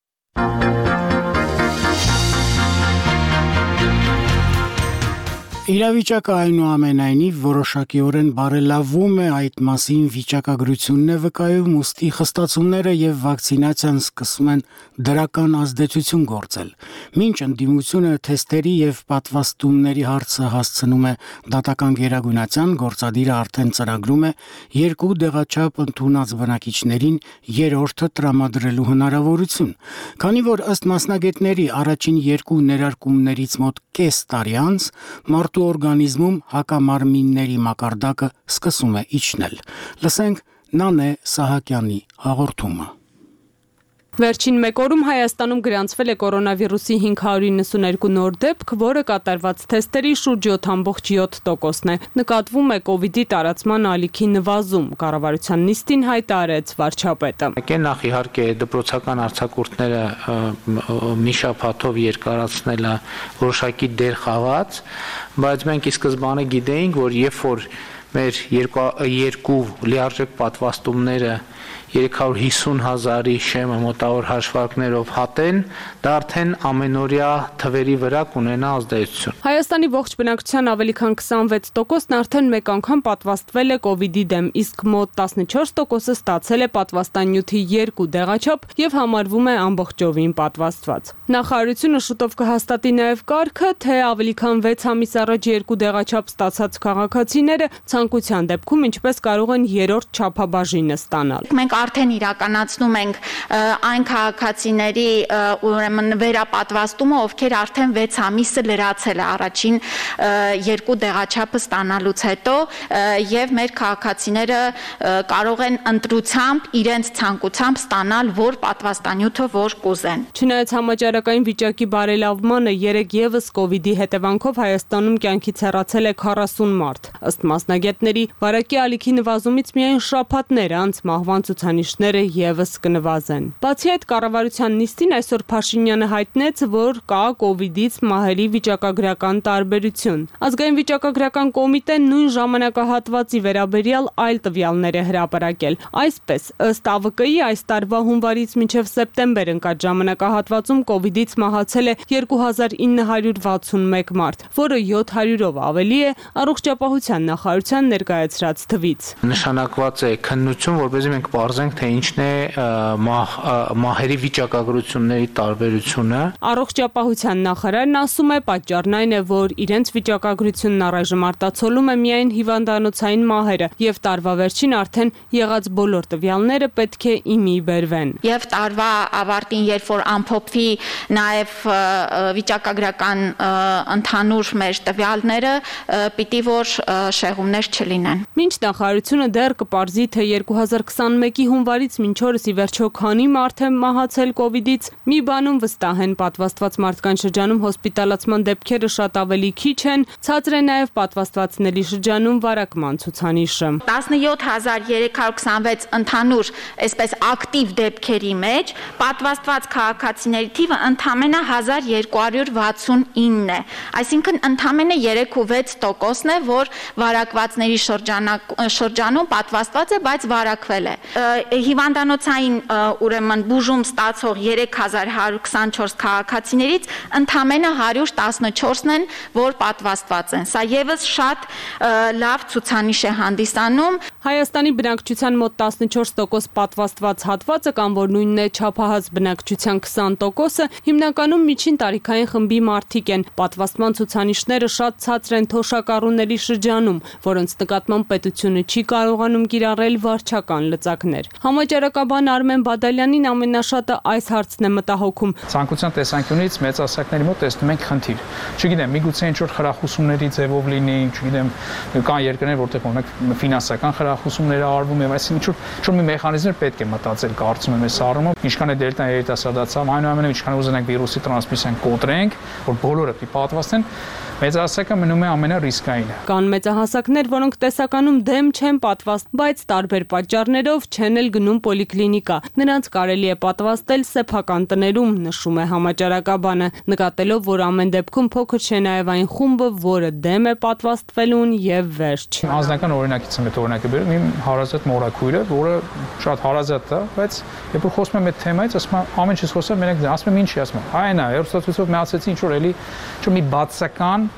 Իրավիճակը այնուամենայնիվ որոշակիորեն բարելավում է, այդ մասին վիճակագրությունն է վկայում, ուստի խստացումները եւ վակցինացիան սկսում են դրական ազդեցություն գործել։ Մինչ ընդդիմությունը թեստերի եւ պատվաստումների հարցը հասցնում է դատական գերագույնացիան, գործադիրը արդեն ծրագրում է երկու դեղաչափ ընդունած բնակիչներին երրորդը տրամադրելու հնարավորություն։ Քանի որ ըստ մասնագետների առաջին երկու ներարկումներից մոտ կես տարի անց մարդու օրգանիզմում հակամարմինների մակարդակը սկսում է իջնել։ Լսենք Նանե Սահակյանի հաղորդումը։ Վերջին մեկ օրում Հայաստանում գրանցվել է կորոնավիրուսի հինգ հարյուր իննսուներկու նոր դեպք, որը կատարված թեստերի շուրջ յոթ կόμμα յոթ տոկոսն է։ Նկատվում է կովիդի տարածման ալիքի նվազում, կառավարության նիստին հայտարարեց վարչապետը։ Նախ իհարկե դպրոցական արձակուրդները մի շաբաթով երկարացնելը որոշակի դեր խաղաց, բայց մենք ի սկզբանե գիտեինք, որ երբ որ մեր երկու լիարժեք պատվաստումները երեք հարյուր հիսուն հազարի շեմը մոտավոր հաշվարկներով հատեն, դա արդեն ամենօրյա թվերի վրա կունենա ազդեցություն։ Հայաստանի ողջ բնակչության ավելի քան քսանվեց տոկոսն արդեն մեկ անգամ պատվաստվել է կովիդի դեմ, իսկ մոտ տասնչորս տոկոսը ստացել է պատվաստանյութի երկու դեղաչափ եւ համարվում է ամբողջովին պատվաստված։ Նախարարությունը շուտով կհաստատի նաեւ կարգը, թե ավելի քան վեց ամիս առաջ երկու դեղաչափ ստացած քաղաքացիները ցանկության դեպքում ինչպես կարող են երրորդ չափաբաժինը ստանալ։ Մենք արդեն իրականացնում ենք այն քաղաքացիների ուրեմն վերապատվաստումը, ովքեր արդեն վեց ամիսը լրացել է առաջին երկու դեղաչափը ստանալուց հետո եւ մեր քաղաքացիները կարող են ընտրությամբ իրենց ցանկությամբ ստանալ որ պատվաստանյութը որ կուզեն։ Չնայած համաճարակային վիճակի բարելավմանը երեք եւս կովիդի հետևանքով Հայաստանում կյանքից հեռացել է քառասուն մարդ։ Ըստ մասնագետների, վարակի ալիքի նվազումից միայն շաբաթներ անց մահվան ցուցանիշները եւս կնվազեն։ Բացի այդ, կառավարության նիստին այսօր Փաշինյանը հայտնեց, որ կա կովիդից մահերի վիճակագրական տարբերություն։ Ազգային վիճակագրական կոմիտեն նույն ժամանակահատվածի վերաբերյալ այլ տվյալներ է հրապարակել։ Այսպես, ըստ Ա V K-ի այս տարվա հունվարից մինչև սեպտեմբեր ընկած ժամանակահատվածում կովիդից մահացել է երկու հազար ինը հարյուր վաթսունմեկ մարդ, որը յոթ հարյուրով ավելի է առողջապահության նախարարության ներկայացրած թվից։ Նշանակված է քննություն, որպեսզի մենք պարզենք, թե ինչն է մահերի վիճակագրությունների տարբերությունը։ Առողջապահության նախարարն ասում է, պատճառն այն է, որ իրենց վիճակագրությունն առայժմ արտացոլում է միայն հիվանդանոցային մահերը եւ տարվա վերջին արդեն եղած բոլոր տվյալները պետք է իմի բերվեն։ Եվ տարվա ավարտին, երբ որ ամփոփվի նաեւ վիճակագրական ընդհանուր մեր տվյալները, պիտի որ շեղումներ չլինեն։ Մինչ նախարարությունը դեռ կպարզի, թե երկու հազար քսան տասնմեկի հունվարից մինչ օրս ի վերջո քանի մարդ է մահացել կովիդից, մի բանում վստահ են, պատվաստված մարդկանց շրջանում հոսպիտալացման դեպքերը շատ ավելի քիչ են, ցածր է նաև պատվաստվածների շրջանում վարակման ցուցանիշը։ տասնյոթ հազար երեք հարյուր քսանվեց ընդհանուր այսպես ակտիվ դեպքերի մեջ, պատվաստված քաղաքացիների թիվը ընդամենը հազար երկու հարյուր վաթսունինն է, այսինքն ընդամենը երեք ու վեց տոկոսն է, որ վարակվածների շրջանում պատվաստված է, բայց վարակվել է։ Հիվանդանոցային ուրեմն բուժում ստացող երեք հազար հարյուր քսանչորս քաղաքացիներից ընդամենը հարյուր տասնչորսն են, որ պատվաստված են։ Սա եւս շատ լավ ցուցանիշ է հանդիսանում։ Հայաստանի բնակչության մոտ տասնչորս տոկոս պատվաստված հատվածը կամ որ նույնն է չափահաս բնակչության քսան տոկոսը հիմնականում միջին տարիքային խմբի մարդիկ են։ Պատվաստման ցուցանիշները շատ ցածր են թոշակառուների շրջանում, որոնց նկատմամբ պետությունը չի կարողանում կիրառել վարչական լծակներ։ Համաճարակաբան Արմեն Բադալյանին ամենաշատը այս հարցն է մտահոգում։ Ցանկության տեսանկյունից մեծահասակների մոտ տեսնում ենք խնդիր։ Չգիտեմ, միգուցե ինչ-որ խրախուսումների ձևով լինի, չգիտեմ, կան երկրներ, որտեղ օրինակ ֆինանսական խրախուսումներ արվում եւ այսինքն ինչ-որ ինչ-որ մի մեխանիզմներ պետք է մտածել, կարծում եմ, այս առումով, ինչքան է դելտա երիտասարդացավ, այնուամենայնիվ ինչքան ուզենանք վիրուսի տրանսմիսիան կոտրենք, որ բոլորը պիտի պատվաստեն, մեծահասակը մնում է ամենառիսկայինը։ Կան մեծահասակներ, որոնք տեսականում դեմ չեն պատվաստ, բայց տարբեր պատճառներով չեն էլ գնում պոլիկլինիկա։ Նրանց կարելի է պատվաստել սեփական տներում, նշում է համաճարակաբանը, նկատելով, որ ամեն դեպքում փոքր չէ նաև այն խումբը, որը դեմ է պատվաստվելուն եւ վերջ։ Անձնական օրինակից եմ այդ օրինակը բերում, իմ հարազատ մորաքույրը, որը շատ հարազատ է, բայց երբ որ խոսում եմ այդ թեմայից, ասում եմ ամեն ինչից խոսել, մենակ ասում եմ ինչի, ասում եմ, այն է, հերոստացույցով միացեցի ինչ որ էլի, ինչ մի բացական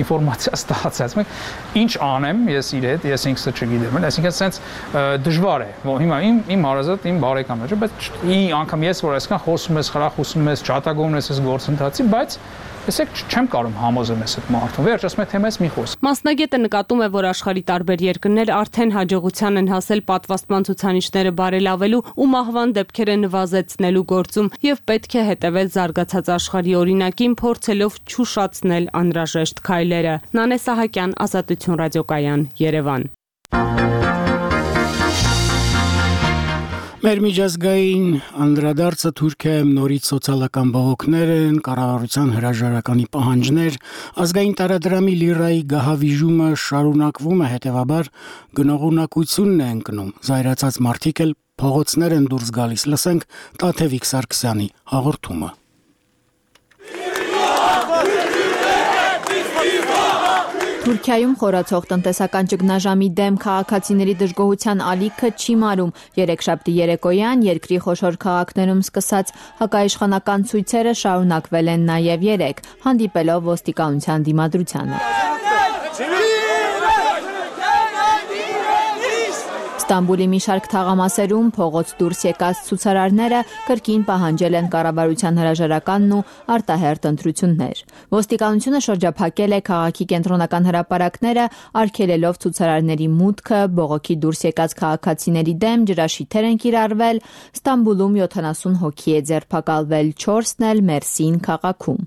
ինֆորմացիա ստացած։ Ինչ անեմ ես իր հետ, ես ինքս չգիտեմ, այսինքն sense դժվար է։ Հիմա իմ իմ հարազատ, իմ բարեկամն է, բայց ի անգամ ես որ այսքան խոսում ես, խրախուսում ես, ճատագովում ես այս գործընթացի, բայց Եսեք չեմ կարող համոզեմ ես այդ մարդուն։ Վերջ ասում եմ թեմայից մի խոս։ Մասնագետը նկատում է, որ աշխարհի տարբեր երկրներ արդեն հաջողության են հասել պատվաստման ցուցանիշները բարելավելու ու մահվան դեպքերը նվազեցնելու գործում եւ պետք է հետեւել զարգացած աշխարհի օրինակին, փորձելով չուշացնել անհրաժեշտ քայլերը։ Նանե Սահակյան, Ազատություն ռադիոկայան, Երևան։ Մեր միջազգային անդրադարձը Թուրքիայում նորից սոցիալական բողոքներ են, կառավարության հրաժարականի պահանջներ, ազգային տարադրամի լիրայի գահավիժումը շարունակվում է, հետևաբար գնողունակությունն է ընկնում։ Զայրացած մարդիկ էլ փողոցներ են դուրս գալիս, լսենք Տաթևիկ Սարգսյանի հաղորդումը։ Թուրքիայում խորացող տնտեսական ճգնաժամի դեմ քաղաքացիների դժգոհության ալիքը չի մարում։ Երեքշաբթի երեկոյան երկրի խոշոր քաղաքներում սկսած հակաիշխանական ցույցերը շարունակվել են նաև երեկ, հանդիպելով ոստիկանության դիմադրությանը։ Ստամբուլի մի շարք թաղամասերում փողոց դուրս եկած ցուցարարները կրկին պահանջել են կառավարության հրաժարականն ու արտահերթ ընտրություններ։ Ոստիկանությունը շրջափակել է քաղաքի կենտրոնական հրապարակները, արգելելով ցուցարարների մուտքը, բողոքի դուրս եկած քաղաքացիների դեմ ջրաշիթեր են կիրառվել, Ստամբուլում յոթանասուն հոգի է ձերբակալվել, չորսն էլ Մերսին քաղաքում։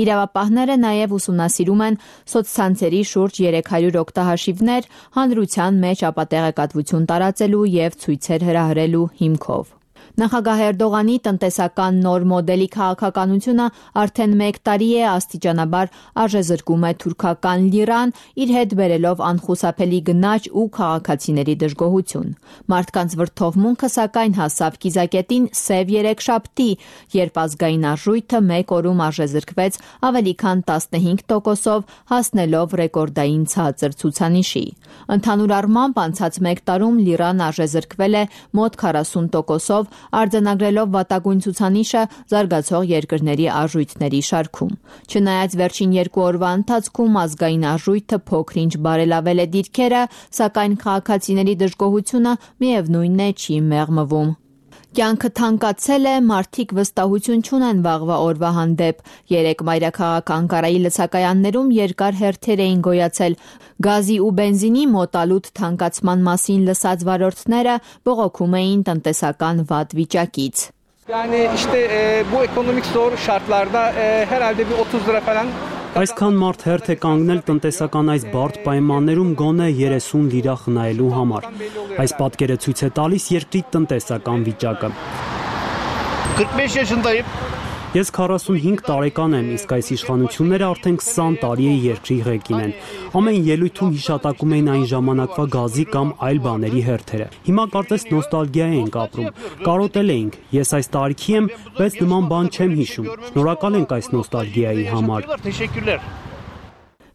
Իրավապահները նաև ուսումնասիրում են սոցցանցերի շուրջ երեք հարյուր օգտահաշիվներ հանրության մեջ ապատեղեկատվություն տարածելու և ցույցեր հրահրելու հիմքով։ Նախագահ Էրդողանի տնտեսական նոր մոդելի քաղաքականությունը արդեն մեկ տարի է աստիճանաբար արժեզրկում է թուրքական լիրան, իր հետ բերելով անխուսափելի գնաճ ու քաղաքացիների դժգոհություն։ Մարդկանց վրդովմունքը սակայն հասավ կիզակետին սև երեքշաբթի, երբ ազգային արժույթը մեկ օրում արժեզրկվեց ավելի քան տասնհինգ տոկոսով, հասնելով ռեկորդային ցածր ցուցանիշի։ Ընդհանուր առմամբ անցած մեկ տարում լիրան արժեզրկվել է մոտ քառասուն տոկոսով, արձանագրելով վատագույն ցուցանիշը զարգացող երկրների արժույթների շարքում։ Չնայած վերջին երկու օրվա ընթացքում ազգային արժույթը փոքր-ինչ բարելավել է դիրքերը, սակայն քաղաքացիների դժգոհությունը միևնույնն է չի մեղմվում։ Կյանքը թանկացել է, մարդիկ վստահություն չունեն վաղվա օրվա հանդեպ։ Երեք մայրաքաղաք Անկարայի լցակայաններում երկար հերթեր էին գոյացել։ Գազի ու բենզինի մոտալուտ թանկացման մասին լսած վարորդները բողոքում էին տնտեսական վատ վիճակից։ Yani işte e, bu ekonomik zor şartlarda e, herhalde bir otuz lira falan Այսքան մարդ հերթ է կանգնել տնտեսական այս բարդ պայմաններում գոնե երեսուն լիրա խնայելու համար։ Այս պատկերը ցույց է տալիս երկրի տնտեսական վիճակը։ Ես քառասունհինգ տարեկան եմ, իսկ այս իշխանությունները արդեն քսան տարի է երկրի ղեկին են։ Ամեն ելույթում հիշատակում էին այն ժամանակվա գազի կամ այլ բաների հերթերը։ Հիմա կարծես նոստալգիա ենք ապրում։ Կարոտել էինք։ Ես այս տարիքի եմ, բայց նման բան չեմ հիշում։ Շնորհակալ ենք այս նոստալգիայի համար։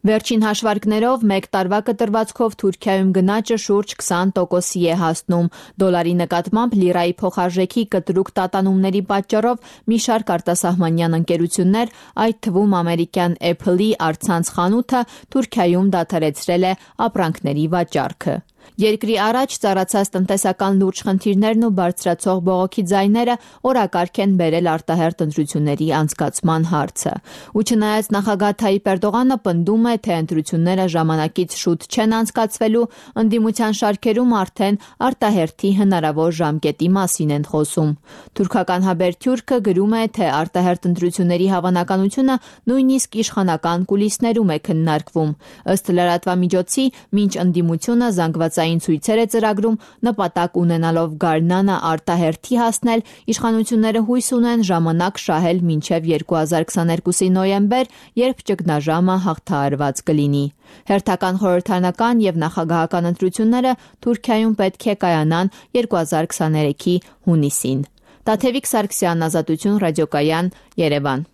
Վերջին հաշվարկներով մեկ տարվա կտրվածքով Թուրքիայում գնաճը շուրջ քսան տոկոսի է հասնում։ Դոլարի նկատմամբ լիրայի փոխարժեքի կտրուկ տատանումների պատճառով մի շարք արտասահմանյան ընկերություններ, այդ թվում ամերիկյան Apple-ի առցանց խանութը, Թուրքիայում դադարեցրել է ապրանքների վաճառքը։ Երկրի առաջ ծառացած տնտեսական լուրջ խնդիրներն ու բարձրացող բողոքի ձայները օրակարգ են բերել արտահերթ ընտրությունների անցկացման հարցը։ Ու չնայած նախագահ Թայիպ Էրդողանը պնդում է, թե ընտրությունները ժամանակից շուտ չեն անցկացվելու, ընդդիմության շարքերում արդեն արտահերթի հնարավոր ժամկետի մասին են խոսում։ Թուրքական Հաբերթյուրքը գրում է, թե արտահերթ ընտրությունների հավանականությունը նույնիսկ իշխանական կուլիսներում է քննարկվում։ Ըստ լրատվամիջոցի, մինչ ընդդիմությունը զանգվածային ցույցեր է ծրագրում, նպատակ ունենալով գարնանը արտահերթի հասնել, իշխանությունները հույս ունեն ժամանակ շահել մինչև երկու հազար քսաներկուսի նոյեմբեր, երբ ճգնաժամը հաղթահարված կլինի։ Հերթական խորհրդարանական եւ նախագահական ընտրությունները Թուրքիայում պետք է կայանան երկու հազար քսաներեքի հունիսին։ Տաթևիկ Սարգսյան, Ազատություն ռադիոկայան, Երևան։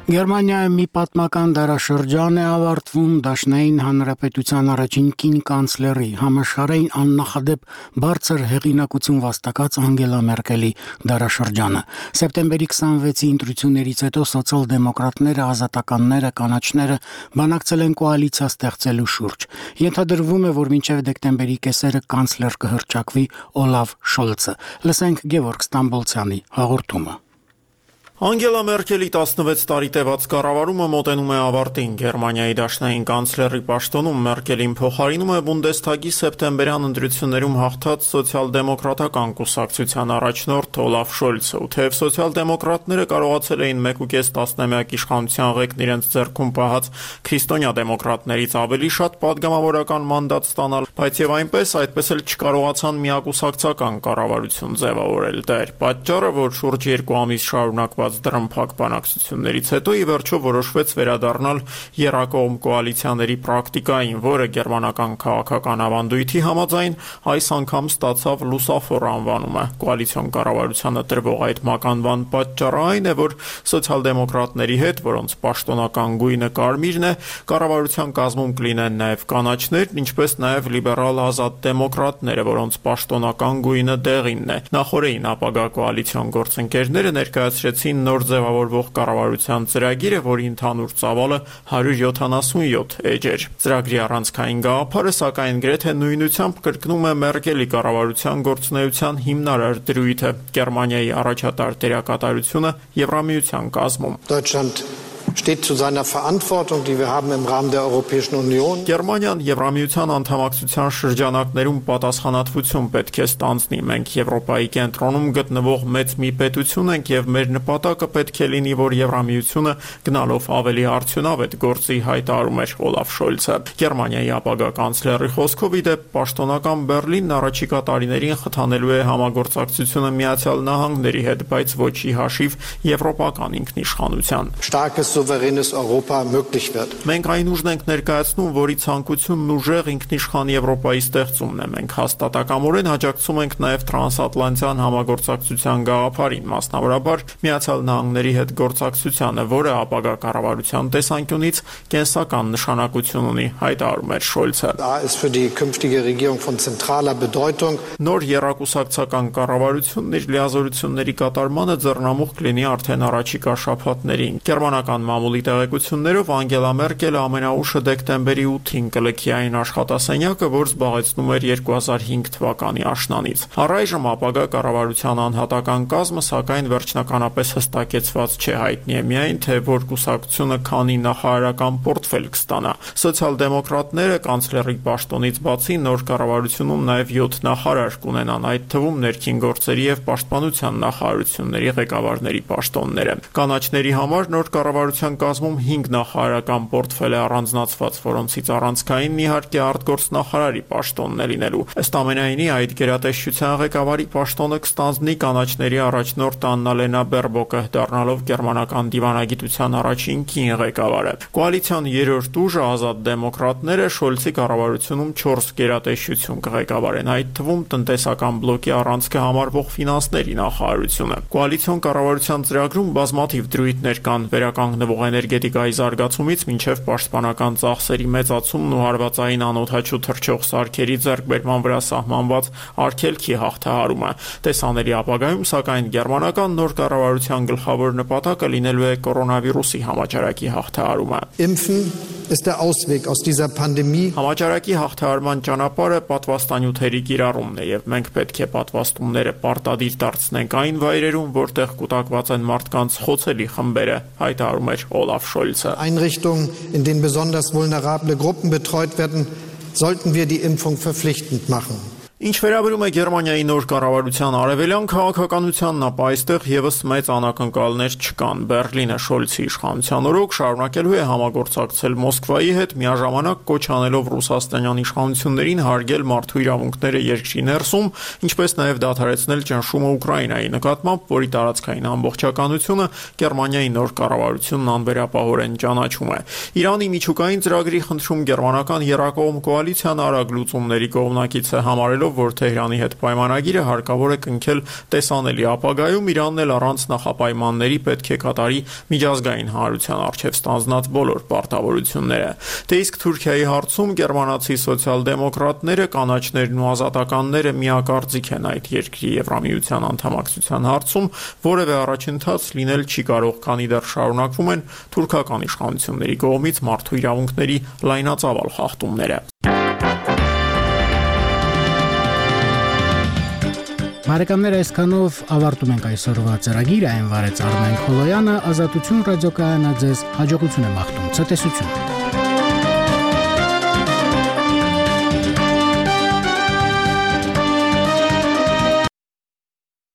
Գերմանիայում մի պատմական դարաշրջան է ավարտվում Դաշնային Հանրապետության առաջին կին կանցլերի, համաշխարհային աննախադեպ բարձր հեղինակություն վաստակած Անգելա Մերկելի դարաշրջանը։ Սեպտեմբերի քսանվեցի ընտրություններից հետո սոցիալ-դեմոկրատները, ազատականները, կանաչները բանակցել են կոալիցիա ստեղծելու շուրջ։ Ենթադրվում է, որ մինչև դեկտեմբերի կեսերը կանցլեր կհռչակվի Օլաֆ Շոլցը։ Լսենք Գևորգ Ստամբոլցյանի հաղորդումը։ Անգելա Մերկելի տասնվեց տարի տևած կառավարումը մոտենում է ավարտին։ Գերմանիայի դաշնային կանցլերի պաշտոնում Մերկելին փոխարինում է Բունդեսթագի սեպտեմբերյան ընտրություններում հաղթած սոցիալ-դեմոկրատական կուսակցության առաջնորդ Օլաֆ Շոլցը։ Ու թեև սոցիալ-դեմոկրատները կարողացել էին մեկ ու կես տասնամյակ իշխանության ղեկն իրենց ձեռքում պահած քրիստոնյա դեմոկրատներից ավելի շատ պատգամավորական մանդատ ստանալ, բայց եւ այնպես այդպես էլ չկարողացան միակուսակցական կառավարություն ձևավորել։ Դա էր պատճառը, որ շուրջ երկու ամիս շարունակված դրամփակ բանակցություններից հետո ի վերջո որոշվեց վերադառնալ եռակողմ կոալիցիաների պրակտիկային, որը գերմանական քաղաքական ավանդույթի համաձայն այս անգամ ստացավ լուսավոր անվանումը։ Կոալիցիոն կառավարությանը տրվող այդ մականվան պատճառը այն է, որ սոցիալ-դեմոկրատների հետ, որոնց պաշտոնական գույնը կարմիրն է, կառավարության կազմում կլինեն նաև կանաչներ, ինչպես նաև լիբերալ ազատ դեմոկրատները, որոնց պաշտոնական գույնը դեղինն է։ Նախորդին ապագա կոալիցիոն գործընկերները ներկայացրեցին նոր ձևավորվող կառավարության ծրագիրը, որի ընդհանուր ծավալը հարյուր յոթանասունյոթ էջ էր։ Ծրագրի առանցքային գաղափարը, սակայն գրեթե նույնությամբ կրկնում է Մերկելի կառավարության գործունեության հիմնարար դրույթը՝ Գերմանիայի առաջատար դերակատարությունը Եվրամիության կազմում։ steht zu seiner Verantwortung, die wir haben im Rahmen der Europäischen Union. Գերմանիան Եվրամիության անդամակցության շրջանակներում պատասխանատվություն պետք է ստանձնի։ Մենք Եվրոպայի կենտրոնում գտնվող մեծ մի պետություն ենք եւ մեր նպատակը պետք է լինի, որ Եվրամիությունը գնալով ավելի արդյունավետ գործի, հայտարարում էր Օլաֆ Շոլցը։ Գերմանիայի ապագա կանցլերի խոսքով, ի դեպ, պաշտոնական Բեռլինն առաջիկա տարիներին խթանելու է համագործակցությունը Միացյալ Նահանգների հետ, բայց ոչ ի հաշիվ եվրոպական ինքնիշխանության։ Souveränes Europa möglich wird. Մենք այն ուժն ենք ներկայացնում, որի ցանկությունն ուժեղ ինքնիշխան Եվրոպայի ստեղծումն է։ Մենք հաստատակամորեն աջակցում ենք նաև տրանսատլանտյան համագործակցության գաղափարին, մասնավորաբար Միացյալ Նահանգների հետ գործակցությանը, որը ապագա կառավարության տեսանկյունից կենսական նշանակություն ունի, հայտարարում էր Շոլցը։ Նոր եռակուսակցական կառավարությունն իր լիազորությունների կատարմանը ձեռնամուխ կլինի արդեն առաջիկա շաբաթներին։ Գերմանական մամուլի տեղեկություններով Անգելա Մերկելը ամենաուշը դեկտեմբերի ութին կլքի այն աշխատասենյակը, որ զբաղեցնում էր երկու հազար հինգ թվականի աշնանից։ Առայժմ ապագա կառավարության անհատական կազմը, սակայն վերջնականապես հստակեցված չէ, հայտնի է միայն, թե որ կուսակցությունը քանի նախարարական պորտֆել կստանա։ Սոցիալ-դեմոկրատները կանցլերի պաշտոնից բացի նոր կառավարությունում նաև յոթ նախարար կունենան, այդ թվում ներքին գործերի եւ պաշտպանության նախարարությունների ղեկավարների պաշտոնները։ Կանաչների համար նոր կառավարության կազմում հինգ նախարարական պորտֆել է առանձնացված, որոնցից առանցքայինն իհարկե արտգործ նախարարի պաշտոնն է լինելու։ Ըստ ամենայնի, այդ գերատեսչության ղեկավարի պաշտոնը կստանձնի կանաչների առաջնորդ Աննալենա Բերբոկը, դառնալով գերմանական դիվանագիտության առաջին կին ղեկավարը։ Կոալիցիոն երրորդ ուժը ազատ դեմոկրատները Շոլցի կառավարությունում չորս գերատեսչություն կղեկավարեն, այդ թվում տնտեսական բլոկի առանցքը համարվող ֆինանսների նախարարությունը։ Կոալիցիոն կառավարության ծրագրում բազմաթիվ դրույթներ կան, վերականգնվող էներգետիկայի զարգացումից մինչև պաշտպանական ծախսերի մեծացումն ու հարվածային անօդաչու թռչող սարքերի ձեռքբերման վրա սահմանված արգելքի հաղթահարումը։ Տեսանելի ապագայում, սակայն, գերմանական նոր կառավարության գլխավոր նպատակը լինելու է կորոնավիրուսի համաճարակի հաղթահարումը։ Impfen ist der Ausweg aus dieser Pandemie. Համաճարակի հաղթահարման ճանապարհը պատվաստանյութերի կիրառումն է, եւ մենք պետք է պատվաստումները պարտադիր դարձնենք այն վայրերում, որտեղ կուտակված են մարդկանց խոցելի խմբերը, հայտարարում էր Օլաֆ Շոլցը։ Einrichtungen, in denen besonders vulnerable Gruppen betreut werden, sollten wir die Impfung verpflichtend machen. Ինչ վերաբերում է Գերմանիայի նոր կառավարության արևելյան քաղաքականությանն, ապա այստեղ եւս մեծ անակնկալներ չկան։ Բերլինը Շոլցի իշխանության օրոք շարունակելու է համագործակցել Մոսկվայի հետ, միաժամանակ կոչ անելով ռուսաստանյան իշխանություններին հարգել մարդու իրավունքները երկրի ներսում, ինչպես նաեւ դադարեցնել ճնշումը Ուկրաինայի նկատմամբ, որի տարածքային ամբողջականությունը Գերմանիայի նոր կառավարությունն անվերապահորեն ճանաչում է։ Իրանի միջուկային ծրագրի խնդրում գերմանական երակողմ կոալիցիան արագ լուծումների կողմնակից է համարելով, որ Թեհրանի հետ պայմանագիրը հարկավոր է կնքել տեսանելի ապագայում, Իրանն էլ առանց նախապայմանների պետք է կատարի միջազգային հանրության առջև ստանձնած բոլոր պարտավորությունները։ Դե իսկ Թուրքիայի հարցում գերմանացի սոցիալ-դեմոկրատները, կանաչներն ու ազատականները միակարծիք են այդ երկրի Եվրամիության անդամակցության հարցում, որևէ առաջընթաց լինել չի կարող, քանի դեռ շարունակվում են թուրքական իշխանությունների կողմից մարդու իրավունքների լայնածավալ խախտումները։ Բարեկամներ, այսքանով ավարտում ենք այսօրվա ծրագիրը, այն վարեց Արմեն Խոլոյանը, Ազատություն ռադիոկայանը ձեզ հաջողություն է մաղթում, ցտեսություն։